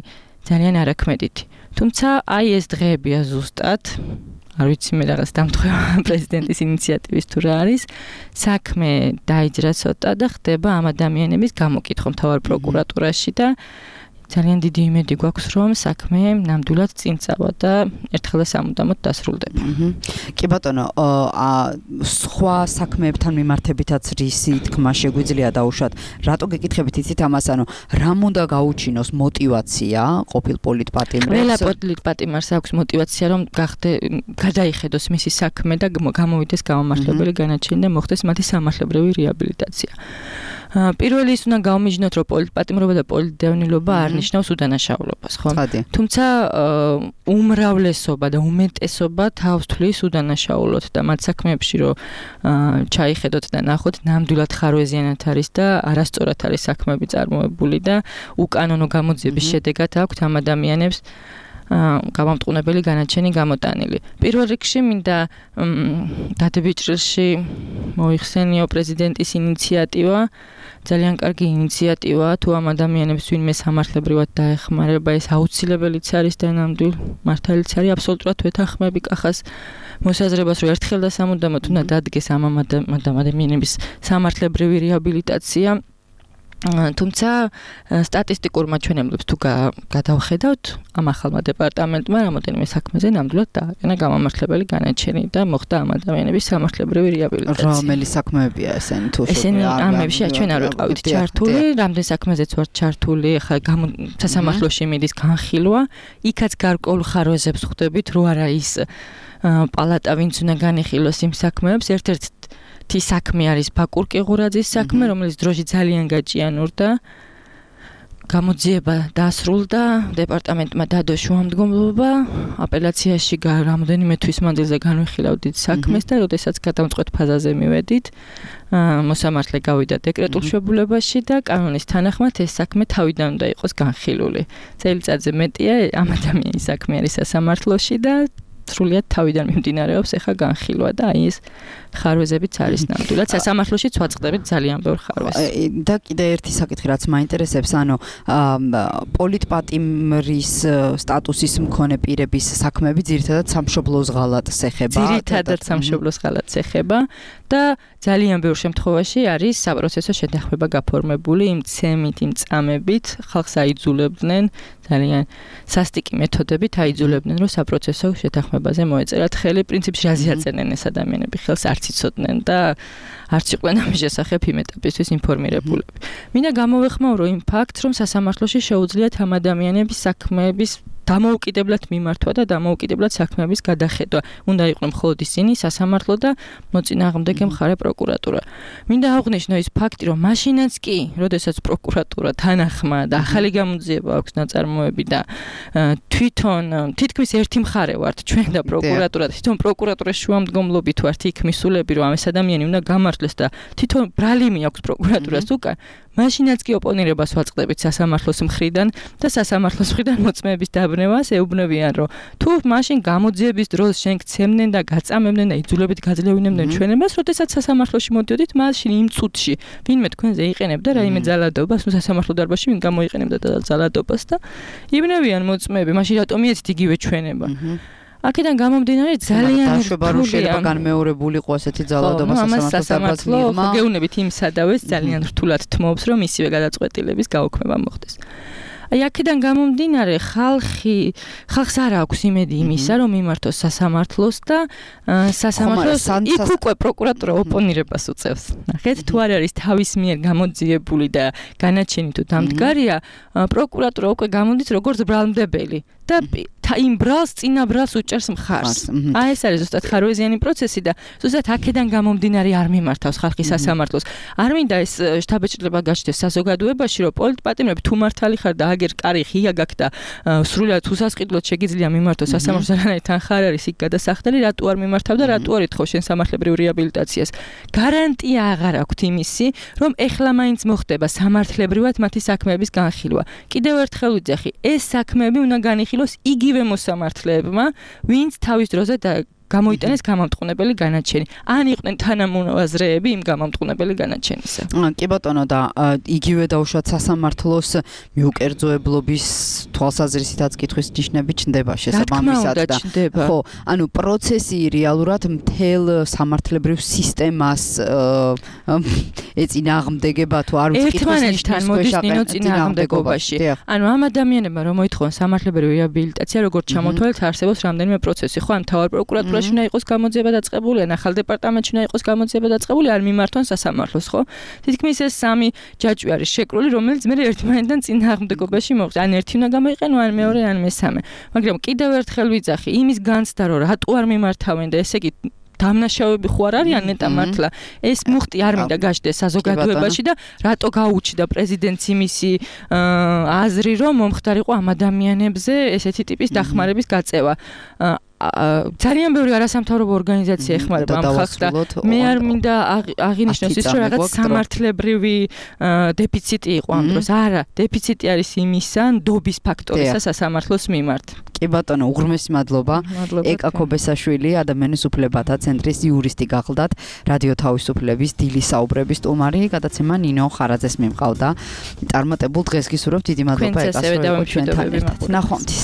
ძალიან არაქმედითი. თუმცა აი ეს დღეებია ზუსტად, არ ვიცი მე რაღაც დამთხევა პრეზიდენტის ინიციატივის თუ რა არის, საქმე დაიჯრა ცოტა და ხდება ამ ადამიანების გამოკითხვა მთავარ პროკურატურაში და ძალიან დიდი იმედი გვაქვს, რომ საქმე ნამდვილად წინ წავა და ერთხელ და სამუდამოდ დასრულდება. კი ბატონო, სხვა საქმეებთან მიმართებითაც რისი თქმა შეგვიძლია დაუშვათ. რატო გეკითხებით იცით ამას, ანუ რამ უნდა გაუჩინოს мотиваცია ყოფილ პოლიტპატიმრებს? ყველა პოლიტპატიმარს აქვს мотиваცია, რომ გახდე გადაიხედოს მისი საქმე და გამოვიდეს გამომართლებელი განაჩენი და მოხდეს მათი სამართლებრივი რეაბილიტაცია. პირველი ის უნდა გაუმიჯნოთ, რომ პოლიტპატიმრობა და პოლიტდევნილობა არ ნიშნავს უდანაშაულობას, ხო? თუმცა უმრავლესობა და უმეტესობა თავს თვლის უდანაშაულოთ და მათ საქმეებში რომ ჩაიხედოთ და ნახოთ, ნამდვილად ხარვეზიანად არის და არასწორად არის საქმეები წარმოებული და უკანონო გამოძიების შედეგად აქვთ ამ ადამიანებს გამამტყუნებელი განაჩენი გამოტანილი. პირველ რიგში მინდა დადებით ჭრილში მოიხსენიო პრეზიდენტის ინიციატივა, ძალიან კარგი ინიციატივაა, თუ ამ ადამიანებს ვინმე სამართლებრივად დაეხმარება, ეს აუცილებელიც არის და ნამდვილ მართალიც არის, აბსოლუტურად ვეთანხმები კახას მოსაზრებას, რომ ერთხელ და სამუდამოდ უნდა დადგეს ამ ადამიანების სამართლებრივი რეაბილიტაცია. თუმცა სტატისტიკურ მაჩვენებლებს თუ გადავხედავთ, ამ ახალმა დეპარტამენტმა რამოდენიმე საქმეზე ნამდვილად დააყენა გამამართლებელი განაჩენი და მოხდა ამ ადამიანების სამართლებრივი რეაბილიტაცია. რომელი საქმეებია ესენი თუ ესენი ამებში ჩვენ არ ვიყავით ჩართული, რამდენ საქმეზეც ვართ ჩართული, ახლა სასამართლოში მიდის განხილვა, იქაც გარკვეულ ხარვეზებს ხვდებით, რო არა ის პალატა ვინც უნდა განიხილოს იმ საქმეებს, ერთ-ერთ თი საქმე არის ბაკურ კიღურაძის საქმე, რომელიც დროში ძალიან გაჭიანურდა. გამოძიება დასრულდა, დეპარტამენტმა დადო შუამდგომლობა, აპელაციაში რამოდენიმე თვის მანძილზე განვიხილავდით საქმეს და როდესაც გადამწყვეტ ფაზაზე მივედით, მოსამართლე გავიდა დეკრეტულ შებულებაში და კანონის თანახმად ეს საქმე თავიდან უნდა იყოს განხილული. წელიწადზე მეტია ამ ადამიანის საქმე არის სასამართლოში და სრულიად თავიდან მიმდინარეობს ახლა განხილვა და აი ეს ხარვეზებიც არის ნამდვილად სასამართლოში ვაწყდებით ძალიან ბევრ ხარვეზს. და კიდე ერთი საკითხი რაც მაინტერესებს, ანუ პოლიტპატიმრის სტატუსის მქონე პირების საქმეები ძირითადად სამშობლოს ღალატს ეხება. ძირითადად სამშობლოს ღალატს ეხება და ძალიან ბევრ შემთხვევაში არის საპროცესო შეთანხმება გაფორმებული იმ ცემით, იმ წამებით, ხალხს აიძულებდნენ ძალიან სასტიკი მეთოდებით აიძულებდნენ, რომ საპროცესო შეთანხმებაზე მოეწერათ ხელი. პრინციპში რაზე აწერდნენ ეს ადამიანები ხელს არც იცოდნენ და არც იყვნენ ამის შესახებ იმ ეტაპისთვის ინფორმირებულები. მინდა გამოვეხმაურო იმ ფაქტს, რომ სასამართლოში შეუძლიათ ამ ადამიანების საქმეების დამოუკიდებლად მიმართვა და დამოუკიდებლად საქმეების გადახედვა. უნდა იყვნენ მხოლოდ ისინი სასამართლო და მოწინააღმდეგე მხარე პროკურატურა. მინდა აღვნიშნო ის ფაქტი, რომ მაშინაც კი, როდესაც პროკურატურა თანახმა და ახალი გამოძიება აქვს ნაწარმოები და თვითონ თითქმის ერთი მხარე ვართ ჩვენ და პროკურატურა, თვითონ პროკურატურის შუამდგომლობით ვართ იქ მისულები, რომ ამ ეს ადამიანი უნდა გამართლეს და თვითონ ბრალიმი აქვს პროკურატურას უკან. მაშინაც კი ოპონირებას ვაწყდებით სასამართლოს მხრიდან და სასამართლოს მხრიდან მოწმეების დაბნევას ეუბნებიან, რომ თუ მაშინ გამოძიების დროს შენ გცემდნენ და გაწამებდნენ და იძულებით გაძლევინებდნენ ჩვენებას, როდესაც სასამართლოში მოდიოდით, მაშინ იმ წუთში ვინმე თქვენზე იყენებდა რაიმე ძალადობას, ნუ სასამართლო დარბაზში ვინ გამოიყენებდა ძალადობას და იბნევიან მოწმეები, მაშინ რატომ ეცით იგივე ჩვენება? აქედან გამომდინარე ძალიან დაშვება რომ შეიძლება განმეორებულიყო ასეთი ძალადობა სასამართლოს მიღმა. გეუბნებით იმ სადავეს ძალიან რთულად თმობს, რომ ისივე გადაწყვეტილების გაუქმება მოხდეს. აი აქედან გამომდინარე ხალხი ხალხს არ აქვს იმედი იმისა, რომ მიმართოს სასამართლოს და სასამართლოს იქ უკვე პროკურატურა ოპონირებას უწევს. ნახეთ, თუ არ არის თავის მიერ გამოძიებული და განაჩენი თუ დამდგარია, პროკურატურა უკვე გამოდის როგორც ბრალმდებელი და იმ ბრალს წინა ბრალს უჭერს მხარს. აი ეს არის ზუსტად ხარვეზიანი პროცესი და ზუსტად აქედან გამომდინარე არ მიმართავს ხალხი სასამართლოს. არ მინდა ეს შთაბეჭდილება გაჩნდეს საზოგადოებაში, რომ პოლიტპატიმრები თუ მართალი ხარ და აგერ კარი ღია გაქვს და სრულად უსასყიდლოდ შეგიძლია მიმართოს სასამართლოს, რანაირად თან ხარ არის იქ გადასახდელი, რატო არ მიმართავ და რატო არ ეთხოვ შენ სამართლებრივ რეაბილიტაციას. გარანტია აღარ აქვთ იმისი, რომ ეხლა მაინც მოხდება სამართლებრივად მათი საქმეების განხილვა. კიდევ ერთხელ ვიძახი, ეს საქმეები უნდა განიხილოს იგივე მოსამართლეებმა, ვინც თავის დროზე და გამოიტანეს გამამტყუნებელი განაჩენი. ან იყვნენ თანამონაზრეები იმ გამამტყუნებელი განაჩენისა. კი ბატონო და იგივე დაუშვათ სასამართლოს მიუკერძოებლობის თვალსაზრისითაც კითხვის ნიშნები ჩნდება შესაბამისად და ხო, ანუ პროცესი რეალურად მთელ სამართლებრივ სისტემას ეწინააღმდეგება თუ არ ვიცი კითხვის ნიშნებს წინააღმდეგობაში. ანუ ამ ადამიანებმა რომ მოითხოვონ სამართლებრივი რეაბილიტაცია, როგორც ჩამოთვალეთ, არსებობს რამდენიმე პროცესი, ხო, ან თავარ პროკურატურაში უნდა იყოს გამოძიება დაწყებული, ან ახალ დეპარტამენტში უნდა იყოს გამოძიება დაწყებული, არ მიმართონ სასამართლოს, ხო? თითქმის ეს სამი ჯაჭვი არის შეკრული, რომელიც მე ერთმანეთთან წინააღმდეგობაში მოხდა. ან ერთი უნდა გამოიყენო, ან მეორე, ან მესამე. მაგრამ კიდევ ერთხელ ვიძახი, იმის განცდა, რომ რატო არ მიმართავენ და ესე იგი დამნაშავეები ხო არ არიან ნეტა მართლა ეს მუხტი არ მინდა გაჩნდეს საზოგადოებაში და რატო გაუჩნდა პრეზიდენტს იმისი აზრი რომ მომხდარიყო ამ ადამიანებზე ესეთი ტიპის დახმარების გაწევა ძალიან ბევრი არასამთავრობო ორგანიზაცია ეხმარება ამ ხალხს და მე არ მინდა აღინიშნოს ის რომ რაღაც სამართლებრივი დეფიციტი იყო ამ დროს. არა, დეფიციტი არის იმისა, ნდობის ფაქტორისა სასამართლოს მიმართ. კი ბატონო, უღრმესი მადლობა. ეკა ქობესაშვილი, ადამიანის უფლებათა ცენტრის იურისტი გახლდათ, რადიო თავისუფლების დილის საუბრების სტუმარი, გადაცემა ნინო ხარაძეს მიმყავდა. წარმატებულ დღეს გისურვებთ, დიდი მადლობა ეკას რომ იყო ჩვენთან ერთად. ნახვამდის.